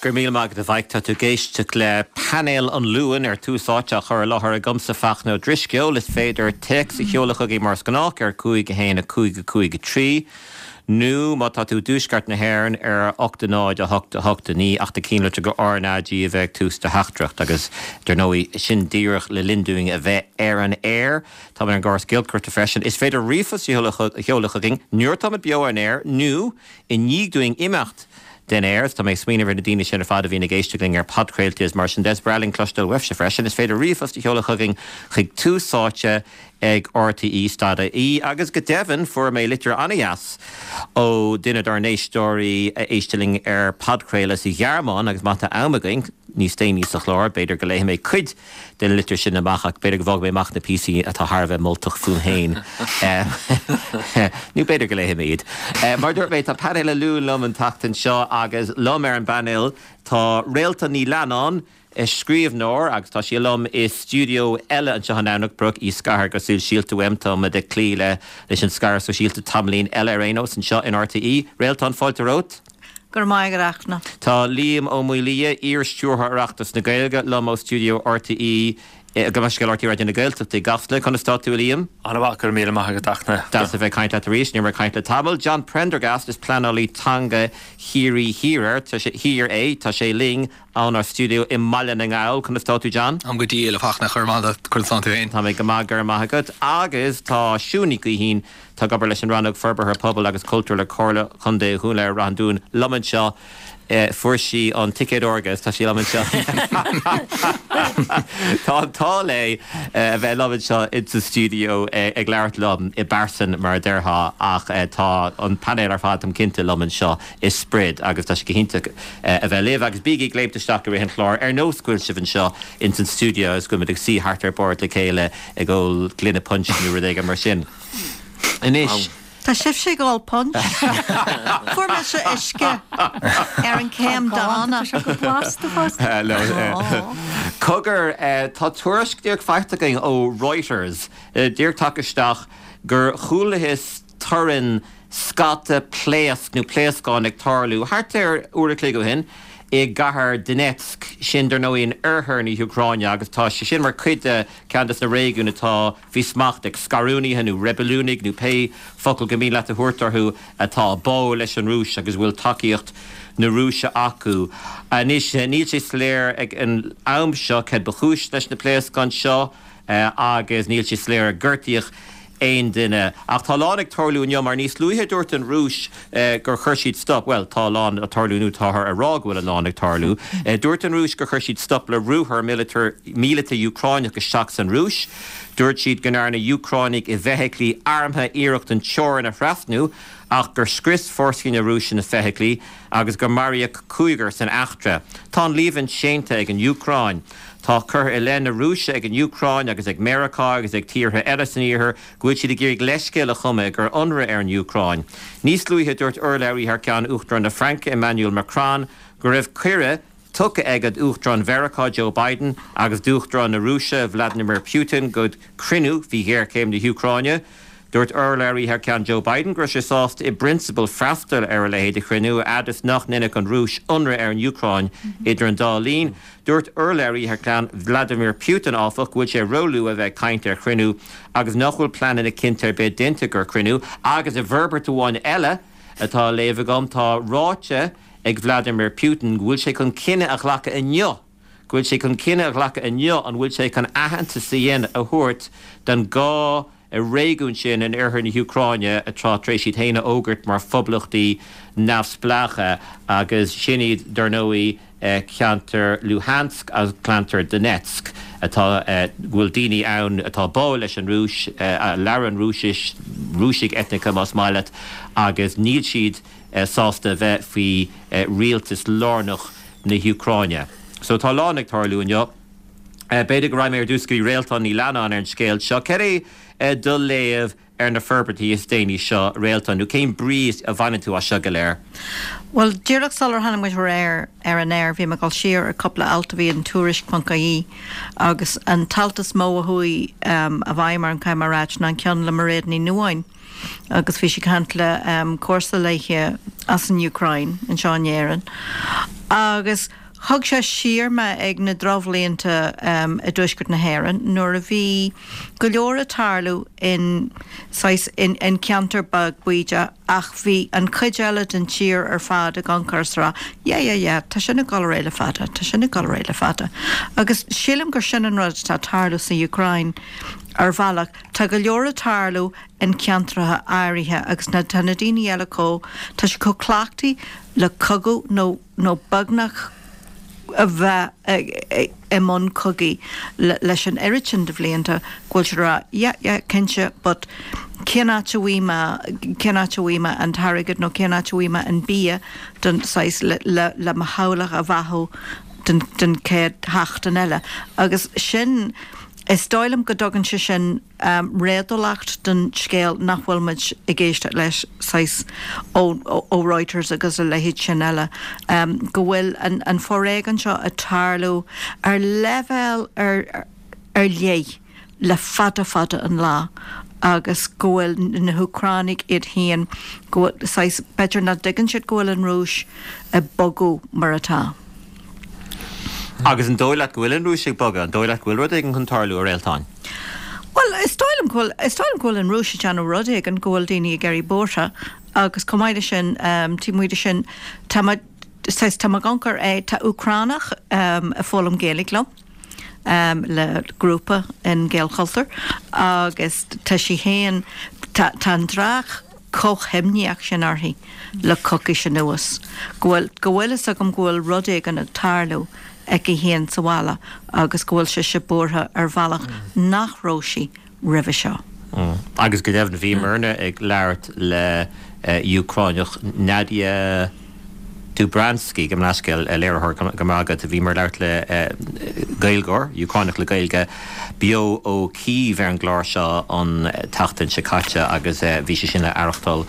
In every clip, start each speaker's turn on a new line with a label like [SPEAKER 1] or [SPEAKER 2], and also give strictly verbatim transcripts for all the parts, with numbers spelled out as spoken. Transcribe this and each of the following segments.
[SPEAKER 1] Go raibh míle maith agat a Mhaidhc tá tú ag éisteacht le painéal an Luain ar Tús Áite á chur i láthair agamsa Fachtna Ó Drisceoil is féidir téacs a sheoladh chugainn mar is gnách ar cúig a haon a cúig a cúig a trí nó má tá tú i dtuaisceart na hÉireann ar ocht a náid a hocht a hocht a naoi ach ná ceann go RnaG a bheith ag tús do theachtaireacht agus dar ndóigh sin díreach le linn dúinn a bheith ar an aer Tá ar an gcóras giolcaireachta freisin is féidir ríomhphost a sheoladh chugainn nuair atáimid beo ar an aer nó i ndiaidh dúinn imeacht den aer, tá mé smaoineamh ar na daoine sin ar fad a bhíonn ag éisteacht linn ar podchraoltaí is mar sin de is breá linn cloisteáil uaibhse freisin, is féidir ríomhphost a sheoladh chugainn chuig tús áite ag RTE dot ie agus go deimhin fuair mé litir an-dheas ó duine dár n-éisteoirí a éisteann linn ar podchraoladh sa Ghearmáin agus má tá am againn níos déanaí sa chlár b'fhéidir go léifidh mé cuid den litir sin amach ach b'fhéidir go bhfágfaidh mé amach na píosaí atá thar a bheith moltach fúm féin. Nó b'fhéidir go léifidh mé iad. Mar dúirt mé tá painéal an Luain liom an tseachtain seo agus liom ar an bpainéal tá Réaltán Ní Leannáin, scríbhneoir agus tá sí liom i stiúideo eile anseo in Eamhnach Brook í scartha go sóisialta uaim tá muid ag cloí le leis an scaradh sóisialta tamaillín eile ar aon nós anseo in RTÉ. Réaltán fáilte romhat.
[SPEAKER 2] Go raibh maith agat a Fhachtna.
[SPEAKER 1] Tá Liam Ó Maolaodha, iar-stiúrthóir Oireachtas na Gaeilge, liom ó stiúideo RTÉ gabh mo leithscéal RTÉ Raidió na Gaeltachta i gCasla. Conas tá tú a Liam?
[SPEAKER 3] An-mhaith, go raibh míle maith agat a Fhachtna.
[SPEAKER 1] Deas a bheith ag caint leat arís, ní raibh mé ag caint le tamall. John Prendergast is pleanálaí teanga Chiarraí Thiar Thiar é, tá sé linn ónár stiúideo i mBaile na nGall. Conas tá tú John?
[SPEAKER 4] Táim go diail a Fhachtna, go raibh maith agat, conas tá tú féin?
[SPEAKER 1] Tá mé go maith, go raibh maith agat. Agus tá Siún Ní Ghaoithín, atá ag obair leis an Rannóg Forbartha Pobail agus Cultúir le Comhairle Chontae Dhún Laoghaire Rath an Dúin liom anseo. Fuair sí an ticéad órga is tá sí liom anseo. Tá an t-ádh léi a bheith liom anseo insa stiúideo ag labhairt liom i bpearsan mar a déarfá ach tá an painéal ar fad táim cinnte liom anseo i sprid agus tá sé go hiontach a bheith libh agus bígí ag léimt isteach i rith an chláir ar nós go bhfuil sibh anseo ins an stiúideo agus go bhfuil muid ag suí thart ar bord le chéile ag ól gloine punch nó rud éigin mar sin. Anois.
[SPEAKER 2] Tá sibhse ag ól punch. Fuair mise uisce ar an céim dána.
[SPEAKER 5] Tá sé go blasta fosta.
[SPEAKER 1] Cogar, tá tuairisc díreach faighte againn ó Reuters, díreach tagtha isteach, gur chualathas torann scata pléasc nó pléascán ag tarlú thart ar uair a chloig ó shin i gcathair Donetsk, sin dar ndóigh in oirthear na hÚcráine agus tá sé sin mar chuid de ceann de na réigiúin atá faoi smacht ag scarúnaithe nó reibiliúnaigh nó pé focal gur mian leat a thabhairt orthu atá báúil leis an Rúis agus a bhfuil tacaíocht na Rúise acu. Anois, níl sé soiléir ag an am seo céard ba chúis leis na pléascáin seo agus níl sé soiléir ar gortaíodh aon duine. Ach tá a lán ag tarlú inniu mar níos luaithe dúirt an Rúis gur chuir siad stop, bhuel, tá a lán ag tarlú nó táthar a rá go bhfuil a lán ag tarlú. Dúirt an Rúis gur chuir siad stop le ruathar míleata Úcráineach isteach san Rúis. Dúirt siad go ndearna Úcránaigh i bhfeithiclí armtha iarracht an teorainn a thrasnú ach gur scrios fórsaí na Rúise na feithiclí agus gur maraíodh cúigear san eachtra. Tá an líomhain séanta ag an Úcráin. Tá curtha i leith na Rúise ag an Úcráin agus ag Meiriceá agus ag tíortha eile san iarthar go bhfuil siad ag iarraidh leithscéal a chumadh ag cur ionradh ar an Úcráin. Níos luaithe dúirt urlabhraí thar ceann Uachtarán na Fraince Emmanuel Macron go raibh cuireadh tugtha aige d'Uachtarán Mheiriceá Joe Biden agus d'Uachtarán na Rúise Vladimir Putin go cruinniú faoi ghéarchéim na hÚcráine. Dúirt urlabhraí thar ceann Joe Biden go raibh sé sásta i bprionsabal freastal ar a leithéid de chruinniú, a fhad is nach ndéanfadh an Rúis ionradh ar an Úcráin idir an dá linn. Dúirt urlabhraí thar ceann Vladimir Putin, áfach, go bhfuil sé róluath a bheith ag caint ar chruinniú agus nach bhfuil pleananna cinnte ar bith déanta gur cruinniú. Agus i bhforbairt amháin eile atá á léamh agam, tá ráite ag Vladimir Putin go bhfuil sé chun cinneadh a ghlacadh inniu go bhfuil sé chun cinneadh a ghlacadh inniu an bhfuil sé chun aitheantas a dhéanamh a thabhairt don dhá réigiún sin in oirthear na hÚcráine atá tar éis iad féin a fhógairt mar phoblachtaí neamhspleácha agus sin iad dar ndóigh ceantar Luhansk agus ceantar Donetsk atá go bhfuil daoine ann atá báúil leis an Rúis, a labhrann Rúisis, Rúisigh eitneacha más maith leat, agus níl siad sásta a bheith faoi rialtas lárnach na hÚcráine. So tá a lán ag tarlú inniu. B'fhéidir go raghaidh mé ar dtús go dtí Réaltán Ní Leannáin ar an scéal seo. Cad é do léamh ar na forbairtí is déanaí seo, Réaltán, nó cén brí a bhaineann tú as seo go léir?
[SPEAKER 2] Bhuel, díreach sular tháinig muid ar ar an aer, bhí mé ag dul siar ar cúpla alt a bhí in Tuairisc ponc ie agus an t-alt is mó a chuaigh i bhfeidhm orm, caithfidh mé a ráit, ná an ceann le Mairéad Ní Nuadháin agus bhí sí ag caint le comharsa léithe as an Úcráin anseo in Éirinn Agus thug sé siar mé ag na drochbhlianta i dtuaisceart na hÉireann nuair a bhí go leor ag tarlú in saghas in in ceantar beag bídeach ach bhí an chuid eile den tír ar fad ag amharc is ag rá yeah yeah yeah tá sin ag dul ar aghaidh le fada, tá sin ag dul ar aghaidh le fada. Agus sílim gur sin an rud atá ag tarlú sa Úcráin ar bhealach. Tá go leor ag tarlú in ceantracha áirithe agus na tá na daoine eile chomh tá siad chomh cleachtaithe le cogadh nó nó beagnach a bheith i mbun cogaidh leis an oiread sin de bhlianta go bhfuil siad ag rá yeah yeah cinnte but cén áit a bhfaighidh mé cén áit a bhfaighidh mé an t-airgead nó cén áit a bhfaighidh mé an bia don saghas le le le mo theaghlach a bheathú den den chéad sheachtain eile agus sin is dóigh liom go dtugann sé sin réadúlacht don scéal nach bhfuil muid ag éisteacht leis saghas ó ó Reuters agus a leithéid sin eile, go bhfuil an an foréigean seo ag tarlú ar leibhéal ar ar leith le fada fada an lá agus go bhfuil na hÚcránaigh iad féin go bhfuil saghas b'fhéidir nach dtuigeann siad go bhfuil an Rúis ag bogadh mar atá.
[SPEAKER 1] Agus an dóigh leat go bhfuil an Rúis ag bogadh? An dóigh leat go bhfuil rud éigin chun tarlú, a Réaltáin?
[SPEAKER 2] Bhuel, is dóigh liom go bhfuil, is dóigh liom go bhfuil an Rúis ag déanamh rud éigin, go bhfuil daoine ag éirí buartha agus chomh maith leis sin, taobh amuigh de sin, tá mé, saghas, tá mé ag amharc ar é, tá Úcránach ag foghlaim Gaeilge liom le grúpa in Gaelchultúr agus tá sí féin, tá, tá an dreach chomh himníoch sin uirthi le coicís anuas, go bhfuil, go bhfuil fhios agam go bhfuil rud éigin ag tarlú aici féin sa bhaile agus go bhfuil sise buartha ar bhealach nach raibh sí roimhe seo.
[SPEAKER 1] Agus go deimhin bhíomarna ag labhairt le Úcránach Nadia Dubranski, gabh mo leithscéal, léiritheoir, go raibh maith agat, bhíomar ag labhairt le Gaeilgeoir, Úcránach le Gaeilge, beo ó Kyiv ar an gclár seo an tseachtain seo caite agus bhí sé sin le haireachtáil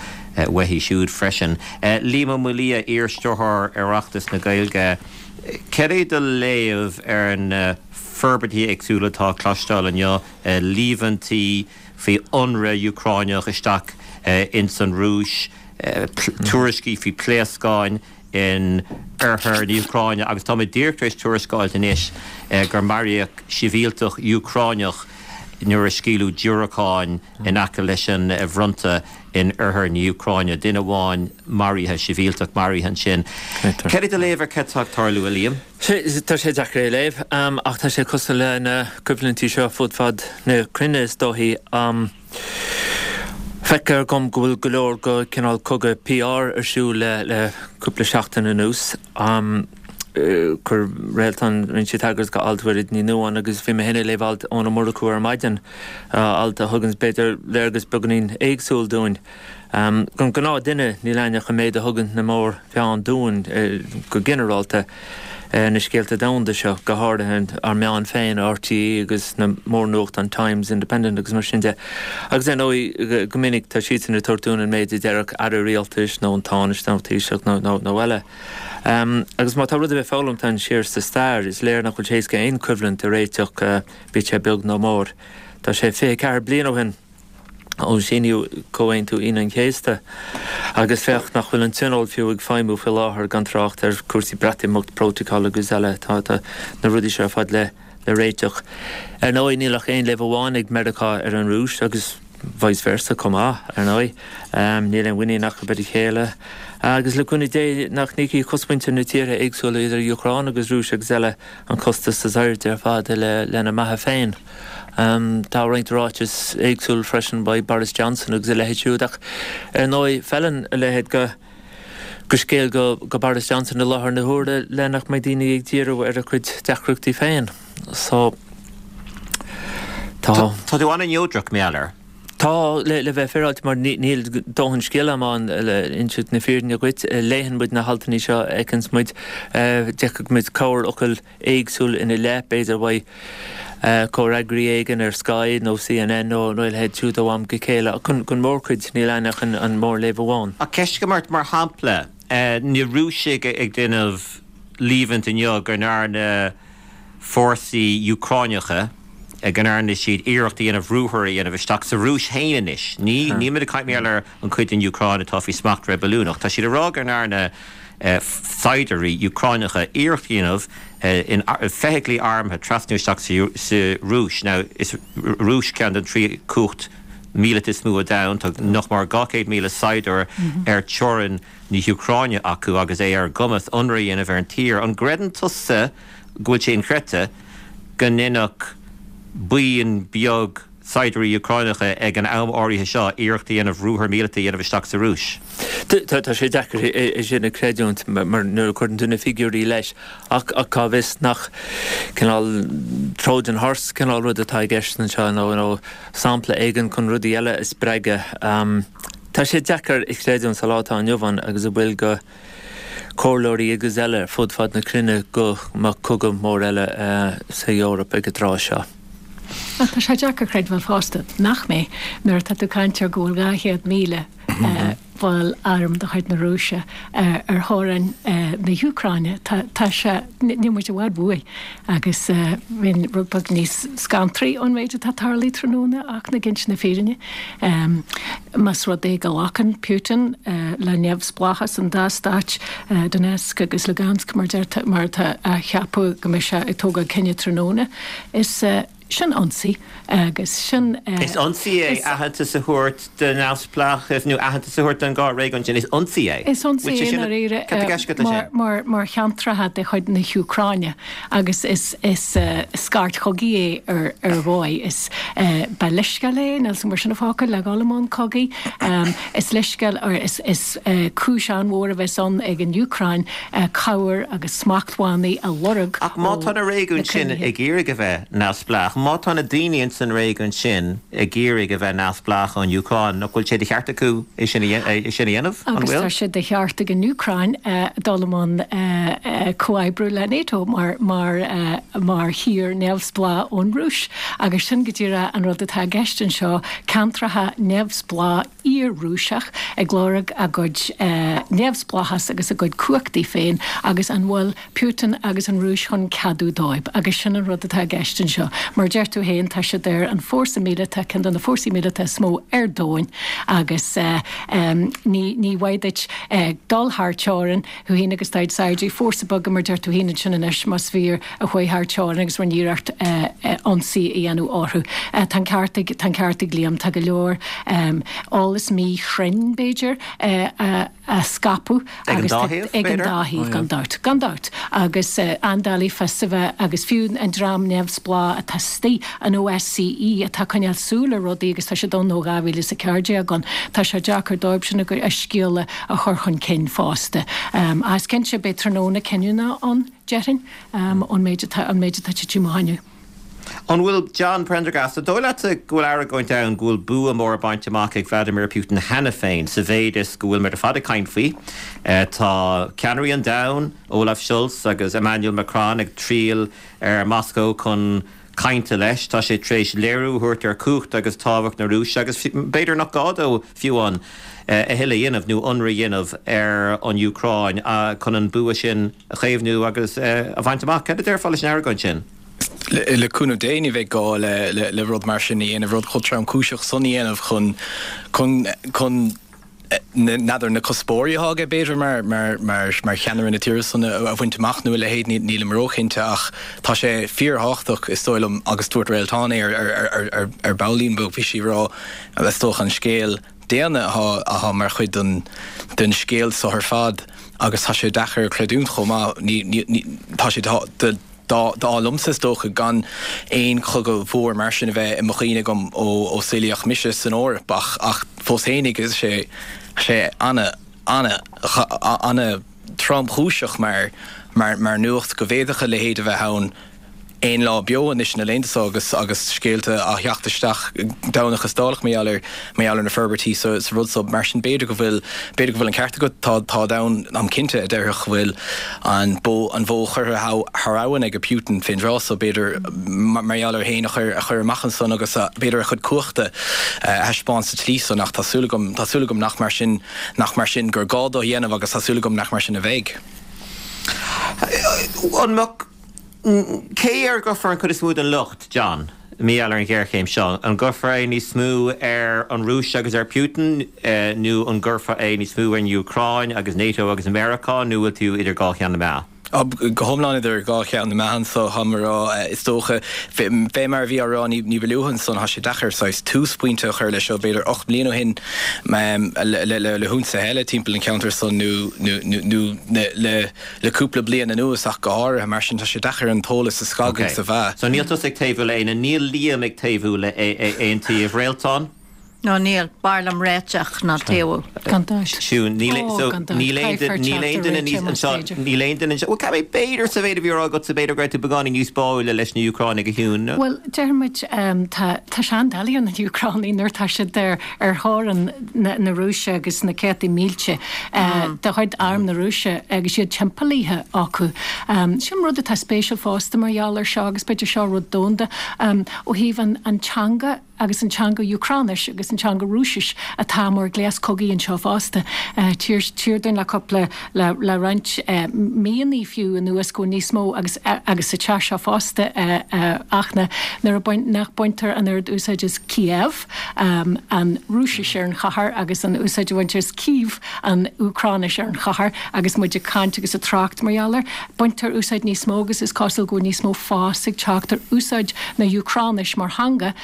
[SPEAKER 1] uaithi siúd freisin. Liam Ó Maolaodha, iar-stiúrthóir Oireachtas na Gaeilge, céard é do léamh ar na forbairtí éagsúla atá le cloisteáil inniu, líomhaintí faoi ionradh Úcránach isteach ins an Rúis, tuairiscí faoi pléascáin in oirthear na hÚcráine agus tá mé díreach tar éis tuairisc a fháilt anois gur maraíodh sibhialtach Úcránach nuair a scaoileadh diúracáin in aice leis an bhfronta in oirthear na hÚcráine. Duine amháin maraithe, sibhialtach maraithe ansin. Céard é do léamh ar cad tá ag tarlú, a Liam?
[SPEAKER 3] Tá sé deacair é a léamh, ach tá sé cosúil le na coimhlintí seo fud fad na cruinne is dóichí. Feictear dom go bhfuil go leor go cineál cogadh PR ar siúl le le cúpla seachtain anuas. Chuir Réaltán, rinne sí tagairt go alt Mhairéad Ní Nuadháin agus bhí mé féin ag léamh alt Eoin Ó Murchú ar maidin, alt a thuganns b'fhéidir léargas beagáinín éagsúil dúinn. Don ghnáth-duine níl againn ach an méid a thugann na mórmheáin dúinn go ginearálta, na scéalta domhanda seo, go háirithe ár meáin féin, RTÉ agus na mórnuachtáin Times, Independent agus mar sin de. Agus ar ndóigh, go minic tá siadsan ag tabhairt dúinn an méid a déarfadh aire rialtais nó an Tánaiste nó Taoiseach nó eile. Agus má tá rud ar bith foghlamtha againn siar sa stair, is léir nach bhfuil sé éasca aon choimhlint a réiteach, bíodh sé beag nó mór. Tá sé fiche ceathair bliain ó shin ó síníodh Comhaontú Aoine an Chéasta agus féach nach bhfuil an Tionól fiú ag feidhmiú faoi láthair, gan trácht ar chúrsaí Breatimeacht, Protocol agus eile. Tá na rudaí seo ar fad le réiteach. Ar ndóigh, níl ach aon léamh amháin ag Meiriceá ar an Rúis agus vice versa chomh maith, ar ndóigh. Níl aon mhuinín acu ar a chéile. Agus le cúnamh Dé nach n-íocfaidh cosmhuintir na tíortha éagsúla idir Úcráin agus Rúis agus eile an costas is airde ar fad lena mbeatha féin. Tá roinnt ráiteas éagsúil freisin by Boris Johnson agus a leithéid siúd ach ar ndóigh feileann a leithéid go go scéal go go Boris Johnson i láthair na huaire le nach mbeidh daoine ag díriú ar a chuid deacrachtaí féin. So tá.
[SPEAKER 1] Tá tú an-neodrach, mar gheall air.
[SPEAKER 3] Tá, le le bheith féaráilte mar níl dóthain scéal agam ann le inseacht na fírinne dhuit. Léann muid na haltanna seo, fheiceanns muid, d'fheicfeadh muid corrfhocal éagsúil ina leith, b'fhéidir uaidh comhfhreagraí éigin ar Sky nó CNN nó a leithéid siúd ó am go chéile. Ach don mhórchuid, níl ann ach an mórléamh amháin.
[SPEAKER 1] Ach ceist agam ort, mar shampla, na Rúisigh ag déanamh líomhaint inniu go ndearna fórsaí Úcráineacha go ndearna siad iarracht a dhéanamh ruathar a dhéanamh isteach sa Rúis féin anois. Ní nílimid ag caint mar gheall ar an chuid den Úcráin atá faoi smacht reibiliúnach. Tá siad ag rá go ndearna saighdiúirí Úcránacha iarracht a dhéanamh in feithiclí armtha trasnú isteach sa Rúis. Now is Rúis ceann den trí cumhacht míleata is mó ar domhan, tá nach mór dhá chéad míle saighdiúir ar teorainn na hÚcráine acu agus é ar a gcumas ionradh a dhéanamh ar an tír. An gcreideann tusa go bhfuil sé inchreidte go ndéanfadh buíon beag saighdiúirí Úcránacha ag an am áirithe seo iarracht a dhéanamh ruathar míleata a dhéanamh isteach sa Rúis?
[SPEAKER 3] Tá sé deacair é sin a chreidiúint mar nuair a chuireann tú na figiúirí leis ach cá bhfios nach cineál Trojan horse cineál rud atá i gceist anseo nó nó sampla éigin chun rudaí eile a spreagadh. Tá sé deacair a chreidiúint sa lá atá inniu ann agus a bhfuil de chomhairleoirí agus eile ar fud fad na cruinne go mbeadh cogadh mór eile sa Eoraip ag an tráth seo.
[SPEAKER 5] Tá sé deacair creidbheáil fosta nach mbeidh nuair atá tú ag caint ar go bhfuil dhá chéad míle ball airm de chuid na Rúise ar theorainn na hÚcráine. Tá sé, níl muid i bhfad uaidh agus bheinn rud beag níos scantraí ón méid atá tarlaithe tráthnóna ach ag inse na fírinne. Más rud é go nglacann Putin le neamhspleáchas an dá stáit, Donetsk agus Lugansk mar mar atá á cheapadh go mbeidh sé ag tógáil cinneadh tráthnóna, is sin ionsaí agus sin.
[SPEAKER 1] Is ionsaí é aitheantas a thabhairt do neamhspleáchas nó aitheantas a thabhairt don dhá réigiún sin. Is ionsaí é.
[SPEAKER 5] Is ionsaí é i ndáiríre mar mar cheantracha de chuid na hÚcráine agus is is scairt chogaidh é ar ar dhóigh. Is ba leithscéal é, níl 's agam mar sin an focal, le dhul i mbun cogaidh. Is leithscéal or is is cúis an-mhór a bheas ann ag an Úcráin cabhair agus smachtbhannaí a lorg
[SPEAKER 1] Ach má tá na réigiúin sin ag iarraidh a bheith neamhspleách, má tá na daoine ins an réigiún sin ag iarraidh a bheith neamhspleách ón Úcráin, nach bhfuil sé de cheart acu é sin a é sin a dhéanamh? An
[SPEAKER 5] Agus
[SPEAKER 1] bhfuil?
[SPEAKER 5] tá sé de cheart ag an Úcráin dul i mbun comhoibriú le NATO mar mar mar thír neamhspleách ón Rúis. Agus sin go díreach an rud atá i gceist anseo, ceantracha neamhspleách iar-Rúiseach ag lorg a gcuid neamhspleáchas agus a gcuid cumhachtaí féin agus an bhfuil Putin agus an Rúis chun ceadú dóibh. Agus sin an rud atá i gceist anseo. Mar deir tú féin, tá siad ar an fórsa míleata, ceann de na fórsaí míleata is mó ar domhan agus ní ní mhaith duit dul thar teorainn, thú féin agus do chuid saighdiúirí, fórsa beag mar deir tú féin ansin anois más fíor a chuaigh thar teorainn agus rinne iarracht ionsaí a dhéanamh orthu. Tá an ceart ag, tá an ceart ag Liam, tá go leor eolas míchruinn b'fhéidir a scaipeadh
[SPEAKER 1] Ag an dá thaobh,
[SPEAKER 5] ag an
[SPEAKER 1] b'fhéidir?
[SPEAKER 5] dá thaobh, gan dabht, gan dabht. Agus an-doiligh fios a bheith agus fiú an dream neamhspleách atá istigh, an OSCE atá ag coinneáil súil ar rudaí agus tá siad ann ó dhá mhíle is a ceathair déag ann, tá sé deacair dóibh sin a scéal a chur chun cinn fosta. Ach is cinnte beidh tráthnóna cinniúna ann, déarfainn, ón méid atá, an méid atá tite amach inniu.
[SPEAKER 1] An bhfuil John Prendergast, an dóigh leatsa go bhfuil argóint ann go bhfuil bua mór bainte amach ag Vladimir Putin cheana féin sa mhéid is go bhfuil muid ar fad ag caint faoi? Tá ceannairí an domhain, Olaf Scholz agus Emmanuel Macron ag triall ar Moscow chun cainte leis. Tá sé tar éis léiriú a thabhairt ar chumhacht agus tábhacht na Rúise agus b'fhéidir nach gá dó fiú amháin a thuilleadh a dhéanamh nó ionradh a dhéanamh ar an Úcráin chun an bua sin a chaomhnú agus a bhaint amach. Cad a déarfá leis an argóint sin?
[SPEAKER 4] Le cúnamh Dé ní bheidh gá le rud mar sin a dhéanamh, rud chomh tromchúiseach san a dhéanamh chun chun chun n'fheadar na cuspóirí atá aige b'fhéidir mar mar mar mar cheannaire na tíre san a bhaint amach nó a leithéid, nílim róchinnte ach tá sé fíorthábhachtach is dóigh liom agus dúirt Réaltán é ar ar ar ar baillín beag bhí sí ag rá is dócha an scéal daonna atá atá mar chuid den den scéal so ar fad agus tá sé deacair a chreidiúint chomh maith ní ní tá sé de D'ádh liomsa is dócha gan aon chogadh mhór mar sin a bheith i mo chuimhne agam ó ó saolaíodh mise san Eoraip ach ach fós fhéinig is sé sé ana ana ana tromchúiseach mar mar mar nuacht go bhféadfadh a leithéid a bheith ann aon lá beo anois na laethanta seo agus agus scéalta á theacht isteach Domhnach is dálach mar gheall ar mar gheall ar na forbairtí sa sa rud so. Mar sin b'fhéidir go bhfuil b'fhéidir go bhfuil an ceart agat, tá táid ann táim cinnte a déarfadh go bhfuil an bó an bhó curtha thar abhainn ag Putin fén dtráth so b'fhéidir mar gheall air féin a chur a chur amach ansan agus b'fhéidir a chuid cumhachta a thaispeáint sa tslí san ach tá súil agam tá súil agam nach mar sin nach mar sin gur gá dó a dhéanamh agus tá súil agam nach mar sin a bheidh.
[SPEAKER 1] An mbeadh Cé air a gcuirfear an chuid is mó den locht, John? Mar gheall ar an ghéarchéim seo? An gcuirfear é níos mó ar an Rúis agus ar Putin nó an gcuirfear é níos mó ar an Úcráin agus NATO agus America nó bhfuil tú idir dhá cheann na meá?
[SPEAKER 4] Go hiomlán idir dhá cheann na meá so tá mé rá is dócha fé mar a bhí á rá ní ní ba luaithe ansan tá sé deacair saghas túspointe a chur leis seo b'fhéidir ocht mbliana ó shin le le le hionsaithe eile timpeall an cheantair san nó nó nó le le cúpla bliain anuas ach go háirithe mar sin tá sé deacair an t-eolas a scagadh sa mheá.
[SPEAKER 1] So níl tusa ag taobhú le aon níl Liam ag taobhú le aon taobh Réaltán?
[SPEAKER 2] No níl b'fhearr liom réiteach ná taobhú.
[SPEAKER 5] Gan dabht.
[SPEAKER 1] Siún níl níl aon duine níos anseo níl aon duine anseo Well b'fhéidir sa mhéid a bhí á rá agat sa b'fhéidir go raibh tú beagáinín níos báúla leis na Úcránaigh a Shiún.
[SPEAKER 5] Well deir muid tá tá sé an-doiligh ar na hÚcránaigh nuair tá siad ar ar thóir an na na Rúise agus na céadta mílte de chuid arm na Rúise agus siad timpeallaithe acu. Sin rud atá spéisiúil fosta mar gheall ar seo agus b'fhéidir seo rud domhanda ó thaobh an an teanga agus an teanga Úcráinis agus an teanga Rúisis atá mar gléas cogaidh anseo fosta. Tír dúinn le cúpla le le roinnt míonna fiú anuas go níos mó agus agus sa teach seo fosta ach nuair a nach baintear an oiread úsáid as Kiev an Rúisis ar an chathair agus an úsáid a bhaintear as Kyiv an Úcráinis ar an chathair agus muid ag caint agus ag trácht mar gheall air. Baintear úsáid níos mó agus is cosúil go níos mó fás ag teacht ar úsáid na Úcráinis mar theanga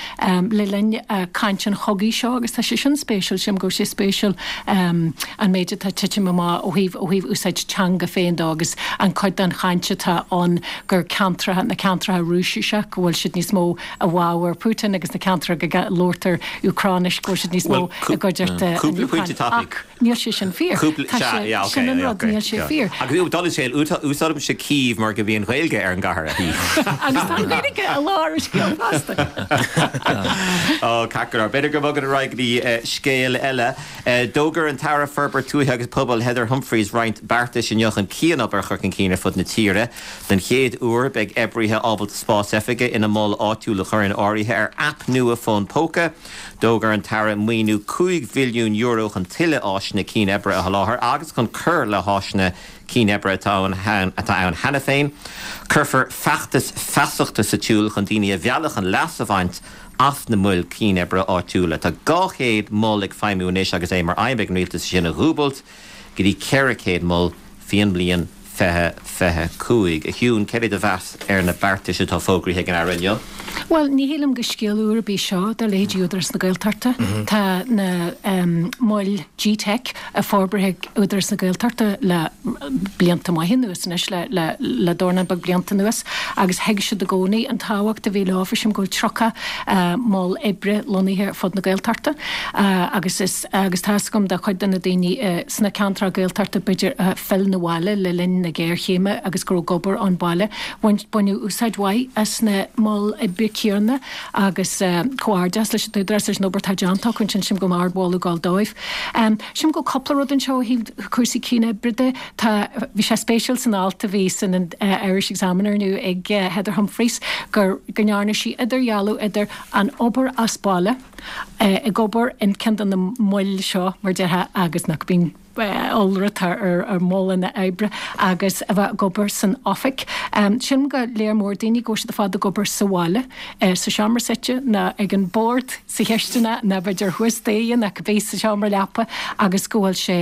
[SPEAKER 5] le linn caint an chogaidh seo agus tá sé sin spéisiúil sílim go sé spéisiúil an méid atá titim amach ó thaobh ó thaobh úsáid teanga féin dó agus an cuid den chaint atá ann gur ceantracha na ceantracha Rúisise go bhfuil siad níos mó i bhfabhar Putin agus na ceantracha go labhartar Úcráinis go bhfuil siad níos mó i gcuideachta
[SPEAKER 1] Cúpla pointe tapaidh.
[SPEAKER 5] Níl sé sin fíor. Sin an rud níl sé fíor.
[SPEAKER 1] Agus dul sé úsáidim sé Kyiv mar go bhíonn Gaeilge ar an gcathair.
[SPEAKER 5] Agus tá Gaeilge i lár an scéil fosta.
[SPEAKER 1] Ó ceart b'fhéidir go mbogann ar aghaidh go scéal eile. D'fhógair an tAire Forbartha Tuaithe agus Pobail Heather Humphreys roinnt beartais inniu chun cianobair a chur chun cinn ar fud na tíre. Den chéad uair beidh oibrithe ábalta spás oifige ina mol áitiúil a chur in áirithe ar aip nua fón póca. D'fhógair an tAire maoiniú cúig mhilliún euro chun tuilleadh áiseanna cianoibre a sholáthar agus chun cur le háiseanna cianoibre atá atá ann cheana féin. Cuirfear feachtas feasachta sa tsiúl chun daoine a mhealladh chun leas a bhaint as na moil cianoibre áitiúla. Tá dhá chéad mol ag feidhmiú anois agus é mar aidhm ag an rialtas sin a dhúbailt go dtí ceithre chéad mol faoin mbliain fiche fiche cúig. A Shiún céard é do mheas ar na beartais atá fógraithe ag an Aire inniu?
[SPEAKER 5] Well, ní shílim gur scéal úr ar bith seo do leithéidí Údarás na Gaeltachta. Tá na um, moil G-Tech a forbraithe ag Údarás na Gaeltachta le blianta maithe anuas anois le, le, le dornán beag blianta anuas agus thuig siad i gcónaí an tábhacht a bhí leo sílim go bhfuil tríocha uh, mol oibre lonnaithe fud na Gaeltachta uh, agus is agus tá agam de chuid de na daoine uh, sna ceantracha Gaeltachta b'fhéidir uh, phill na bhaile le linn na géarchéime agus go raibh obair ón baile baineadh úsáid mhaith as na moil oibre céanna agus uh, comhghairdeas leis an Údarás leis an obair atá déanta chun sin sílim go ardmholadh ag dul dóibh. Um, sílim go cúpla rud anseo ó thaobh cúrsaí cianoibre de tá bhí sé spéisiúil san alt a bhí san an uh, Irish Examiner inniu ag uh, Heather Humphreys gur go ndearna sí idirdhealú idir an obair as baile uh, ag obair in ceann de na moil seo mar déarfá agus nach bíonn ollrud ar ar mholanna oibre agus a bheith ag obair san oifig. Um, Sílim go leor mór daoine go siad fad ag obair sa bhaile uh, sa seomra suite ná ag an bord sa chistin ná b'fhéidir thuas staighre ná bheith sa seomra leapa agus go bhfuil sé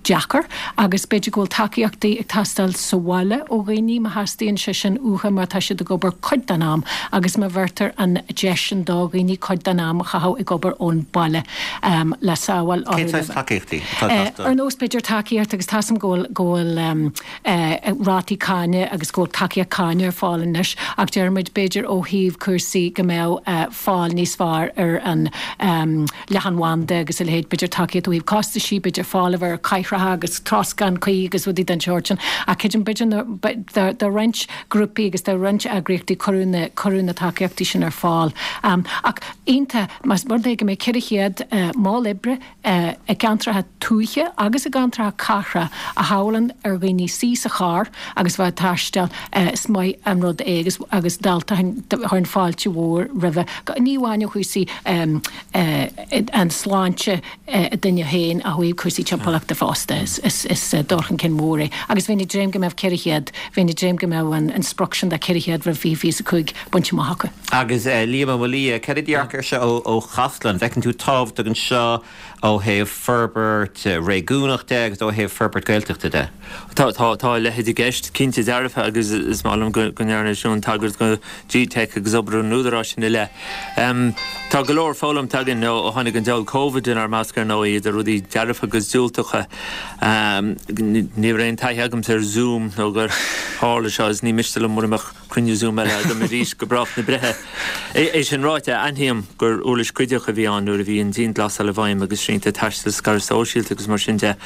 [SPEAKER 5] deacair agus b'fhéidir go bhfuil tacaíochtaí ag teastáil sa bhaile ó dhaoine má theastaíonn sé sin uathu mar tá siad ag obair cuid den am agus má bheirtear an deis sin do dhaoine cuid den am a chaitheamh ag obair ón baile um, le sábháil
[SPEAKER 1] Cén saghas tacaíochtaí atá
[SPEAKER 5] Uh,
[SPEAKER 1] teastáil?
[SPEAKER 5] ar nós b'fhéidir tacaíocht agus tá a fhios agam go bhfuil go bhfuil um, uh, rátaí cáine agus go bhfuil tacaíocht cáine ar fáil anois ach deirmid b'fhéidir ó thaobh cúrsaí go mbeadh uh, fáil níos fearr ar an um, leathanbhanda agus a leithéid b'fhéidir tacaíocht ó thaobh costaisí b'fhéidir fáil ar caithra agus troscán cuí agus rudaí den sórt sin ach creidim b'fhéidir do roinnt grúpaí agus do roinnt eagraíochtaí cuireadh na cuireadh na tacaíochtaí sin ar fáil. Um, ach ionta más rud é go mbeidh ceithre chéad uh, mol oibre uh, i gceantracha tuaithe agus i gceantracha cathrach a shábhálann ar dhaoine suí sa charr agus bheith taisteal uh, is maith an rud é agus agus dalta chuirfinn fáilte mhór roimhe. Ní amháin ó chúrsaí um, uh, an sláinte uh, duine féin ach ó thaobh cúrsaí timpeallachta fosta. feasta. Is is dul chun cinn mór é. Agus bheinn ag dréim go mbeadh ceithre chéad, bheinn ag dréim go mbeadh an an sprioc sin de ceithre chéad roimh fiche fiche a cúig bainte amach acu.
[SPEAKER 1] Agus Liam Ó Maolaodha, cad é do dhearcadh air seo ó Chasla? An bhfeiceann tú tábhacht anseo ó thaobh forbairt réigiúnach de agus ó thaobh forbairt Gaeltachta de?
[SPEAKER 3] Tá tá tá a leithéid i gceist, cinnte dearfa, agus is maith liom go ndearna Siún tagairt go G-Teic agus obair an Údaráis ina leith. Tá go leor foghlamtha againn ó tháinig an diabhal Covid inár measc ar ndóigh, idir rudaí dearfa agus diúltacha. Ní raibh aon taithí agamsa ar Zoom nó gur tharla seo is ní miste liom mura mbeadh cruinniú Zoom eile agam arís go brách na breithe. É sin ráite, aithním gur uirlis cuideach a bhí ann nuair a bhí an dianghlasáil i bhfeidhm agus srianta taistil, scaradh sóisialta agus mar sin de.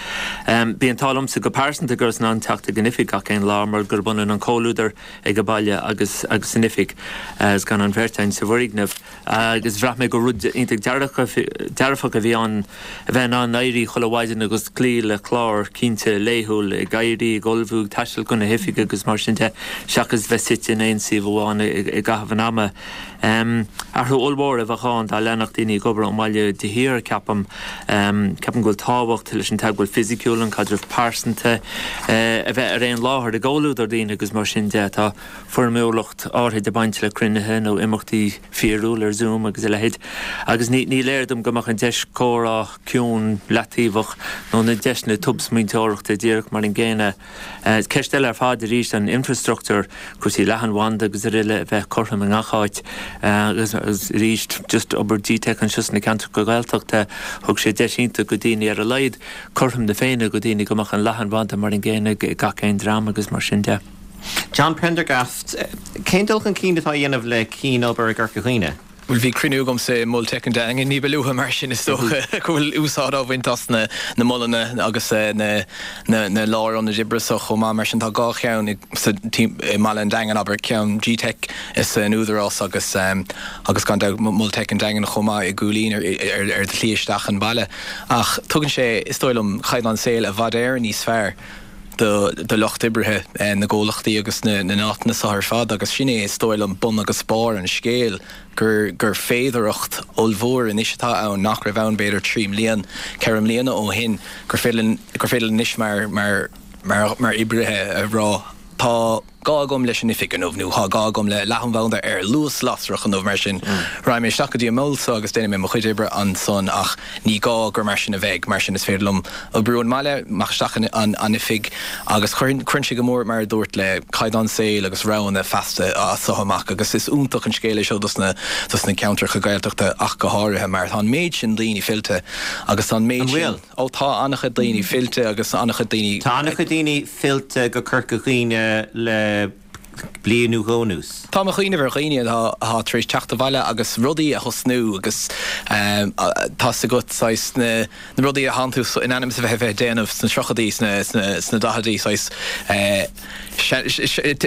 [SPEAKER 3] Bhí an t-ádh liomsa go pearsanta go rabhas in ann teacht ag an oifig gach aon lá mar gurb ionann an comhluadar ag an baile agus agus san oifig is gan an bheirt againn sa bhfoirgneamh. Agus bhraith mé gur rud iontach dearfach a bhí ann a bheith in ann éirí chuile mhaidin agus cloí le clár cinnte laethúil, ag éirí, ag ullmhú, ag taisteal chun na hoifige agus mar sin de, seachas bheith suite in aon suíomh amháin i gcaitheamh an ama. Athrú ollmhór a bheadh ann dá leanfadh daoine ag obair ón mbaile de shíor, ceapaim. Ceapaim go bhfuil tábhacht leis an teagmháil fisiciúil, an caidreamh pearsanta, a bheith ar aon láthair i gcomhluadar daoine agus mar sin de. Tá foirmiúlacht áirithe ag baint le cruinnithe nó imeachtaí fíorúil ar Zoom agus a leithéid agus ní ní léir dom go mbeadh an deis comhrá ciúin leataobhach nó na deiseanna tobsmaointeoireachta díreach mar an gcéanna. Ceist eile ar fad arís an infrastruchtúr, cúrsaí leathanbhanda agus araile a bheith cothrom i ngach áit agus arís just obair G-Teic anseo sna ceantracha Gaeltachta, thug sé deis iontach go daoine ar a laghad cothrom na Féinne go daoine go mbeadh an leathanbhanda mar an gcéanna ag gach aon dream agus mar sin de.
[SPEAKER 1] John Prendergast, cén dul chun cinn atá á dhéanamh le cianobair i gCorca Dhuibhne?
[SPEAKER 4] Bhuel, bhí cruinniú agamsa i Mol Teic an Daingin ní ba luaithe, mar sin is dócha go bhfuil úsáid á bhaint as na na molanna agus na na na lárionaid oibre so chomh maith. Mar sin tá dhá cheann sa i mbaile an Daingin, abair, ceann G-Teic is an Údarás agus agus gan dabht Mol Teic an Daingin chomh maith i gCúilín ar ar ar do shlí isteach an baile. Ach tugann sé, is dóigh liom, caighdeán saoil i bhfad Éireann níos fearr do do lucht oibrithe na gcomhlachtaí agus na na n-áiteanna so ar fad agus sin é is dóigh liom bun agus barr an scéil gur gur féidearthacht ollmhór anois atá ann nach raibh ann b'fhéidir trí mbliana, ceithre mbliana ó shin gur féidir gur féidir anois mar mar mar mar oibrithe a rá tá gá agam leis an oifig inniu nó tá gá agam le leathanbhanda ar luas lasrach inniu mar sin raghaidh mé isteach go dtí an mol so agus déanfaidh mé mo chuid oibre ansan ach ní gá gur mar sin a bheidh, mar sin is féidir liom oibriú ón mbaile, amach isteach an an oifig agus cuireann cuireann sé go mór mar a dúirt le caighdeán saoil agus roghanna feasta as so amach agus is iontach an scéal é seo dos na dos na ceantracha Gaeltachta ach go háirithe mar tá an méid sin daoine fillte agus tá an méid sin Ó tá an-chuid daoine fillte agus an-chuid daoine.
[SPEAKER 1] Tá an-chuid daoine fillte go Corca Dhuibhne le bliain nó dhó anuas.
[SPEAKER 4] Tá mé ag cuimhneamh ar dhaoine atá atá tar éis teacht abhaile agus rudaí a thosnú agus tá's agat saghas na na rudaí a thánn tú in ainm is a bheith a bheith ag déanamh sna tríochaidí sna sna sna daichidí saghas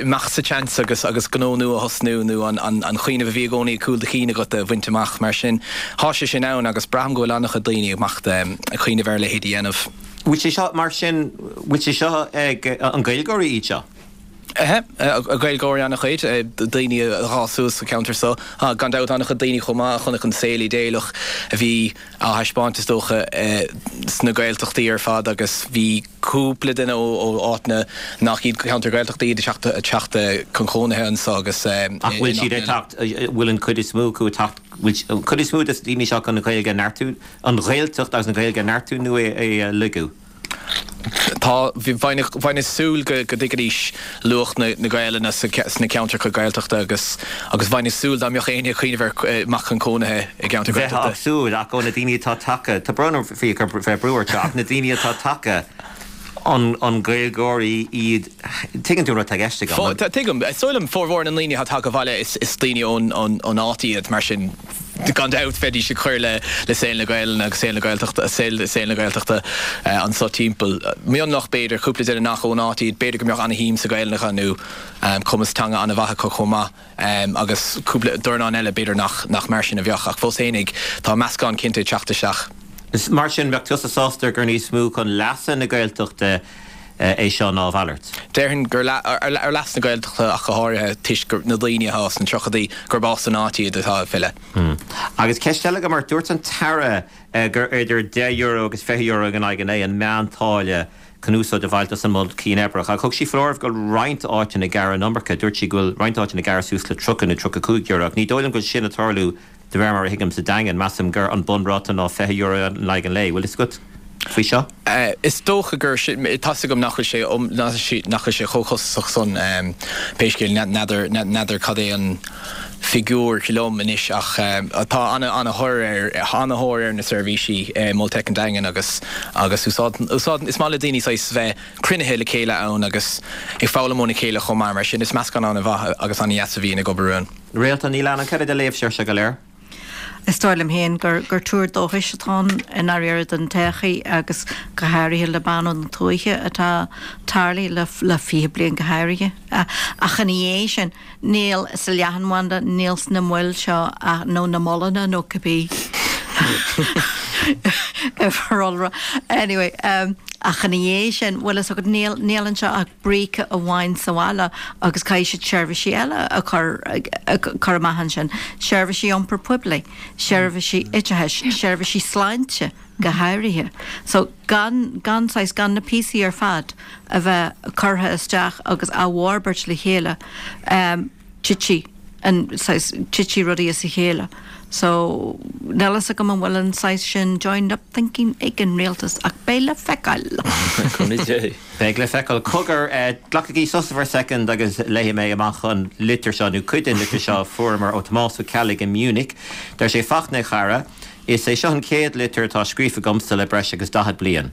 [SPEAKER 4] imeacht sa tseans agus agus gnó nua a thosnú nó an an an cuimhneamh a bhí i gcónaí ag cúl do chinn agat a bhaint amach. Mar sin, thá sé sin ann agus braithim go bhfuil an-chuid daoine ag imeacht ag cuimhneamh ar a leithéid a dhéanamh.
[SPEAKER 1] Bhfuil sé seo, mar sin, bhfuil sé seo ag an Gaeilgeoirí iad seo?
[SPEAKER 4] Ehe, Gaeilgeoirí an-chuid, daoine a d'fhás suas sa cheantar so. Gan dabht an-chuid daoine chomh maith a chonaic an saol idéalach a bhí á thaispeáint is dócha sna Gaeltachtaí ar fad agus bhí cúpla duine ó áiteanna nach iad ceantair Ghaeltachta iad ag teacht chun cónaithe anso agus
[SPEAKER 1] Ach bhfuil siad ag teacht, bhfuil an chuid is mó acu ag teacht, bhfuil an chuid is mó de na daoine seo chun an Ghaeilge a neartú, an Ghaeltacht agus an Ghaeilge a neartú nó é a lagú?
[SPEAKER 4] Tá, bheinn ag súil go dtuigfidís luach na Gaelainne sna ceantracha Gaeltachta agus agus bheinn ag súil dá mbeadh éinne ag cuimhneamh ar imeacht chun cónaithe i gceantar
[SPEAKER 1] Bheifeá ag súil ach ó na daoine atá tagtha, tá brón orm faoi bheith ag brú ort seo, ach na daoine atá tagtha, an Gaeilgeoirí iad, tuigeann tú an rud atá i gceist agam?
[SPEAKER 4] Tuigim. Is dóigh liom formhór na ndaoine atá tagtha abhaile is daoine ón áit iad mar sin. Gan dabht, bheidís ag cur le saol na Gaelainne agus saol na Gaeltachta, saol na Gaeltachta anso timpeall. Mionlach, b'fhéidir, cúpla duine nach ón áit iad, b'fhéidir go mbeadh ana-shuim sa Ghaelainn acu nó cumas teanga ana-mhaith acu chomh maith agus cúpla dornán eile b'fhéidir nach nach mar sin a bheadh ach fós fhéinig tá meascán cinnte ag teacht isteach.
[SPEAKER 1] Mar sin, bheadh tusa sásta gur níos mó chun leasa na Gaeltachta é seo ná a mhalairt.
[SPEAKER 4] Déarfainn gur ar leas na Gaeltachta ach go háirithe toisc gur na daoine atá sna tríochaidí gurb as an áit iad atá ag filleadh.
[SPEAKER 1] Agus ceist eile agam ort, dúirt an tAire gur idir deich euro agus fiche euro in aghaidh an lae an meántáille chun úsáid a bhaint as an mol cianoibreach. Ach thug sí foláireamh go bhfuil roinnt áiteanna ag gearradh an iomarca. Dúirt sí go bhfuil roinnt áiteanna ag gearradh suas le tríocha nó tríocha cúig euro. Ach ní dóigh liom go bhfuil sin ag tarlú de réir mar a thuigim sa Daingean. Measaim gur an bunráta ná fiche euro in aghaidh an lae. Bhfuil fhios agat faoi seo?
[SPEAKER 4] Is dócha gur tá's agam nach bhfuil sé nach bhfuil sé chomh costasach san pé scéal n'fheadar n'fheadar cad é an figiúr liom anois ach tá an-thóir ar an-thóir ar na seirbhísí Mol Teic an Daingin agus agus úsáid úsáid is maith le daoine saghas bheith cruinnithe le chéile ann agus ag foghlaim óna chéile chomh maith mar sin is meascán an-mhaith agus an-dheas a bhíonn ag obair ann.
[SPEAKER 1] Réaltán Ní Leannáin, cad é do léamhsa air seo go léir?
[SPEAKER 2] Is dóigh liom féin gur gur tuar dóchais atá ann i ndáiríre don todhchaí agus go háirithe le bean ón tuaithe atá tarlaithe le le fiche bliain go háirithe. Ach ina dhiaidh sin, níl sa leathanbhanda, níl sna moil seo nó na molanna nó cibé uimhir Anyway, um, ach ina dhiaidh sin, bhfuil fhios agat níl níl anseo ach bríce amháin sa bhaile agus caithfidh siad seirbhísí eile a chur a chur amach ansin. Seirbhísí iompar poiblí, seirbhísí oideachais, seirbhísí sláinte go háirithe. So gan gan saghas gan na píosaí ar fad a bheith curtha isteach agus á bhforbairt le chéile um, titfidh an saghas titfidh rudaí as a chéile. So níl fhios agam an bhfuil an saghas sin joined up thinking ag an rialtas ach beidh le feiceáil.
[SPEAKER 1] Beidh le feiceáil cogar glacaigí sos for a second agus léifidh mé amach an litir seo nó cuid den litir seo fuaireamar ó Tomás Ó Ceallaigh i Munich. Deir sé Fachtna a chara, is é seo an chéad litir atá scríofa agamsa le breis agus daichead bliain.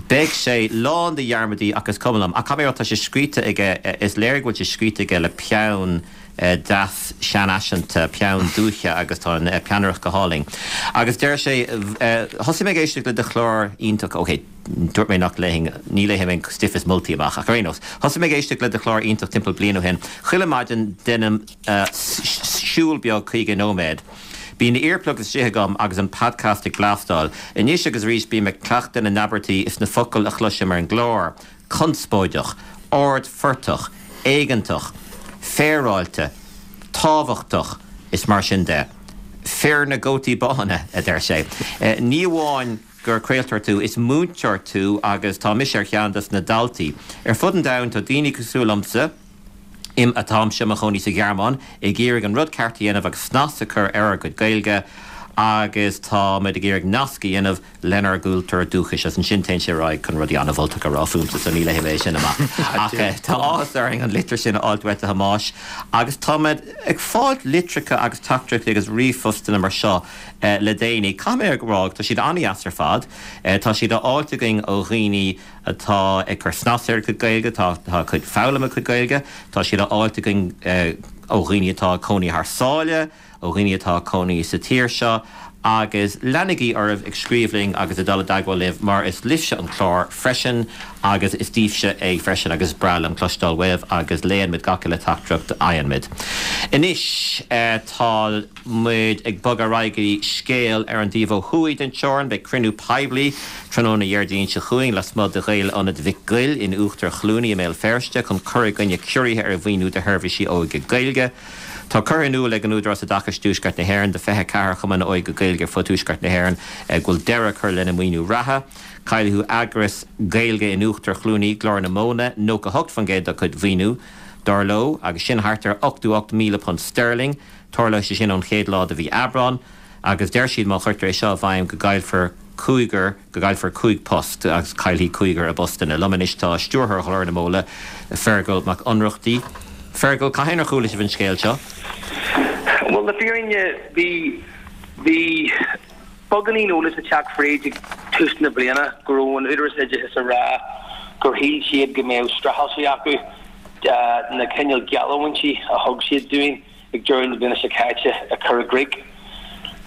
[SPEAKER 1] Beidh sé lán de dhearmadaí ach is cuma liom, ach caithfidh mé a rá tá sé scríte aige is léir go bhfuil sé scríte aige le peann deas seanfhaiseanta, peann dúiche agus tá an peannaireacht go hálainn. Agus deir sé thosaigh mé ag éisteacht le do chlár iontach, ok, dúirt mé nach léifinn, ní léifidh mé stuif is moltaí amach ach ar aon nós. Thosaigh mé ag éisteacht le do chlár iontach timpeall bliain ó shin. Chuile maidin déanaim siúl beag caoga nóiméad. Bíonn earplugs istigh agam agus an podcast ag blastáil. Anois agus arís bím ag cleachtadh na n-abairtí is na focail a chloisim ar an gclár. Conspóideach, ardphortach, éigeantach, féaráilte, tábhachtach is mar sin de. Fir na gcótaí bána, a deir sé. Ní amháin gur craoltóir tú, is múinteoir tú agus tá mise ar cheann des na daltaí. Ar fud an domhain tá daoine cosúil liomsa, im atáimse i mo chónaí sa Ghearmáin, ag iarraidh an rud ceart a dhéanamh agus snas a chur ar ár gcuid Gaeilge agus tá muid ag iarraidh nasc a dhéanamh lenár gcultúr dúchais agus ansin téann sé ar aghaidh chun rudaí an-mholtach a rá fúmsa so ní léifidh mé sin amach. Ach tá áthas orainn an litir sin a fháilt uait a Thomáis agus tá muid ag fáilt litreacha agus teachtaireachtaí agus ríomhphostanna mar seo le déanaí. Caithfidh mé a rá tá siad an-deas ar fad. Tá siad á fháilt againn ó dhaoine atá ag cur snas ar a gcuid Gaeilge, tá ag foghlaim a gcuid Gaeilge, tá siad á fháilt againn ó dhaoine atá ag cónaí thar sáile, ó dhaoine atá ag cónaí sa tír seo agus leanaigí oraibh ag scríobh linn agus ag dul i dteagmháil libh mar is libhse an clár freisin agus is daoibhse é freisin agus is breá liom cloisteáil uaibh agus léann muid gach uile teachtaireacht a fhaigheann muid. Anois tá muid ag bogadh ar aghaidh go dtí scéal ar an dtaobh ó thuaidh den teorainn. Beidh cruinniú poiblí tráthnóna Dhéardaoin seo chugainn lasmuigh de Ghael-Ionad Mhic Goill in Uachtar Chluanaí i mbéal Feirste chun cur i gcoinne ciorruithe ar mhaoiniú do sheirbhísí óige Gaeilge. Tá curtha in iúl ag an Údarás Oideachais Tuaisceart na hÉireann do fiche a ceathair chumann óige Gaeilge ar fud Tuaisceart na hÉireann go bhfuil deireadh curtha lena maoiniú reatha. Caillfidh eagras Gaeilge in Uachtar Chluanaí, Glór na Móna, nócha hocht faoin gcéad dá cuid mhaoiniú, dar leo, agus sin thart ar ochtó ocht míle punt sterling. Tarlóidh sé sin ón chéad lá de mhí Aibreán agus deir siad má chuirtear é seo i bhfeidhm go gcaillfear cúigear, go gcaillfear cúig post agus caillfidh cúigear a bpostanna. Liom anois tá Stiúrthóir Ghlór na Móna, Feargal Mac Ionnrachtaigh. Feargal, cathain ar chuala sibh an scéal seo?
[SPEAKER 6] Bhuel, le fírinne, bhí, bhí beagáinín eolais ag teacht fríd ag tús na bliana go raibh an Údarás Oideachais ag rá gur shíl siad go mbeadh streachailt acu na cineál geallúintí a thug siad dúinn ag deireadh na bliana seo caite a chur i gcrích.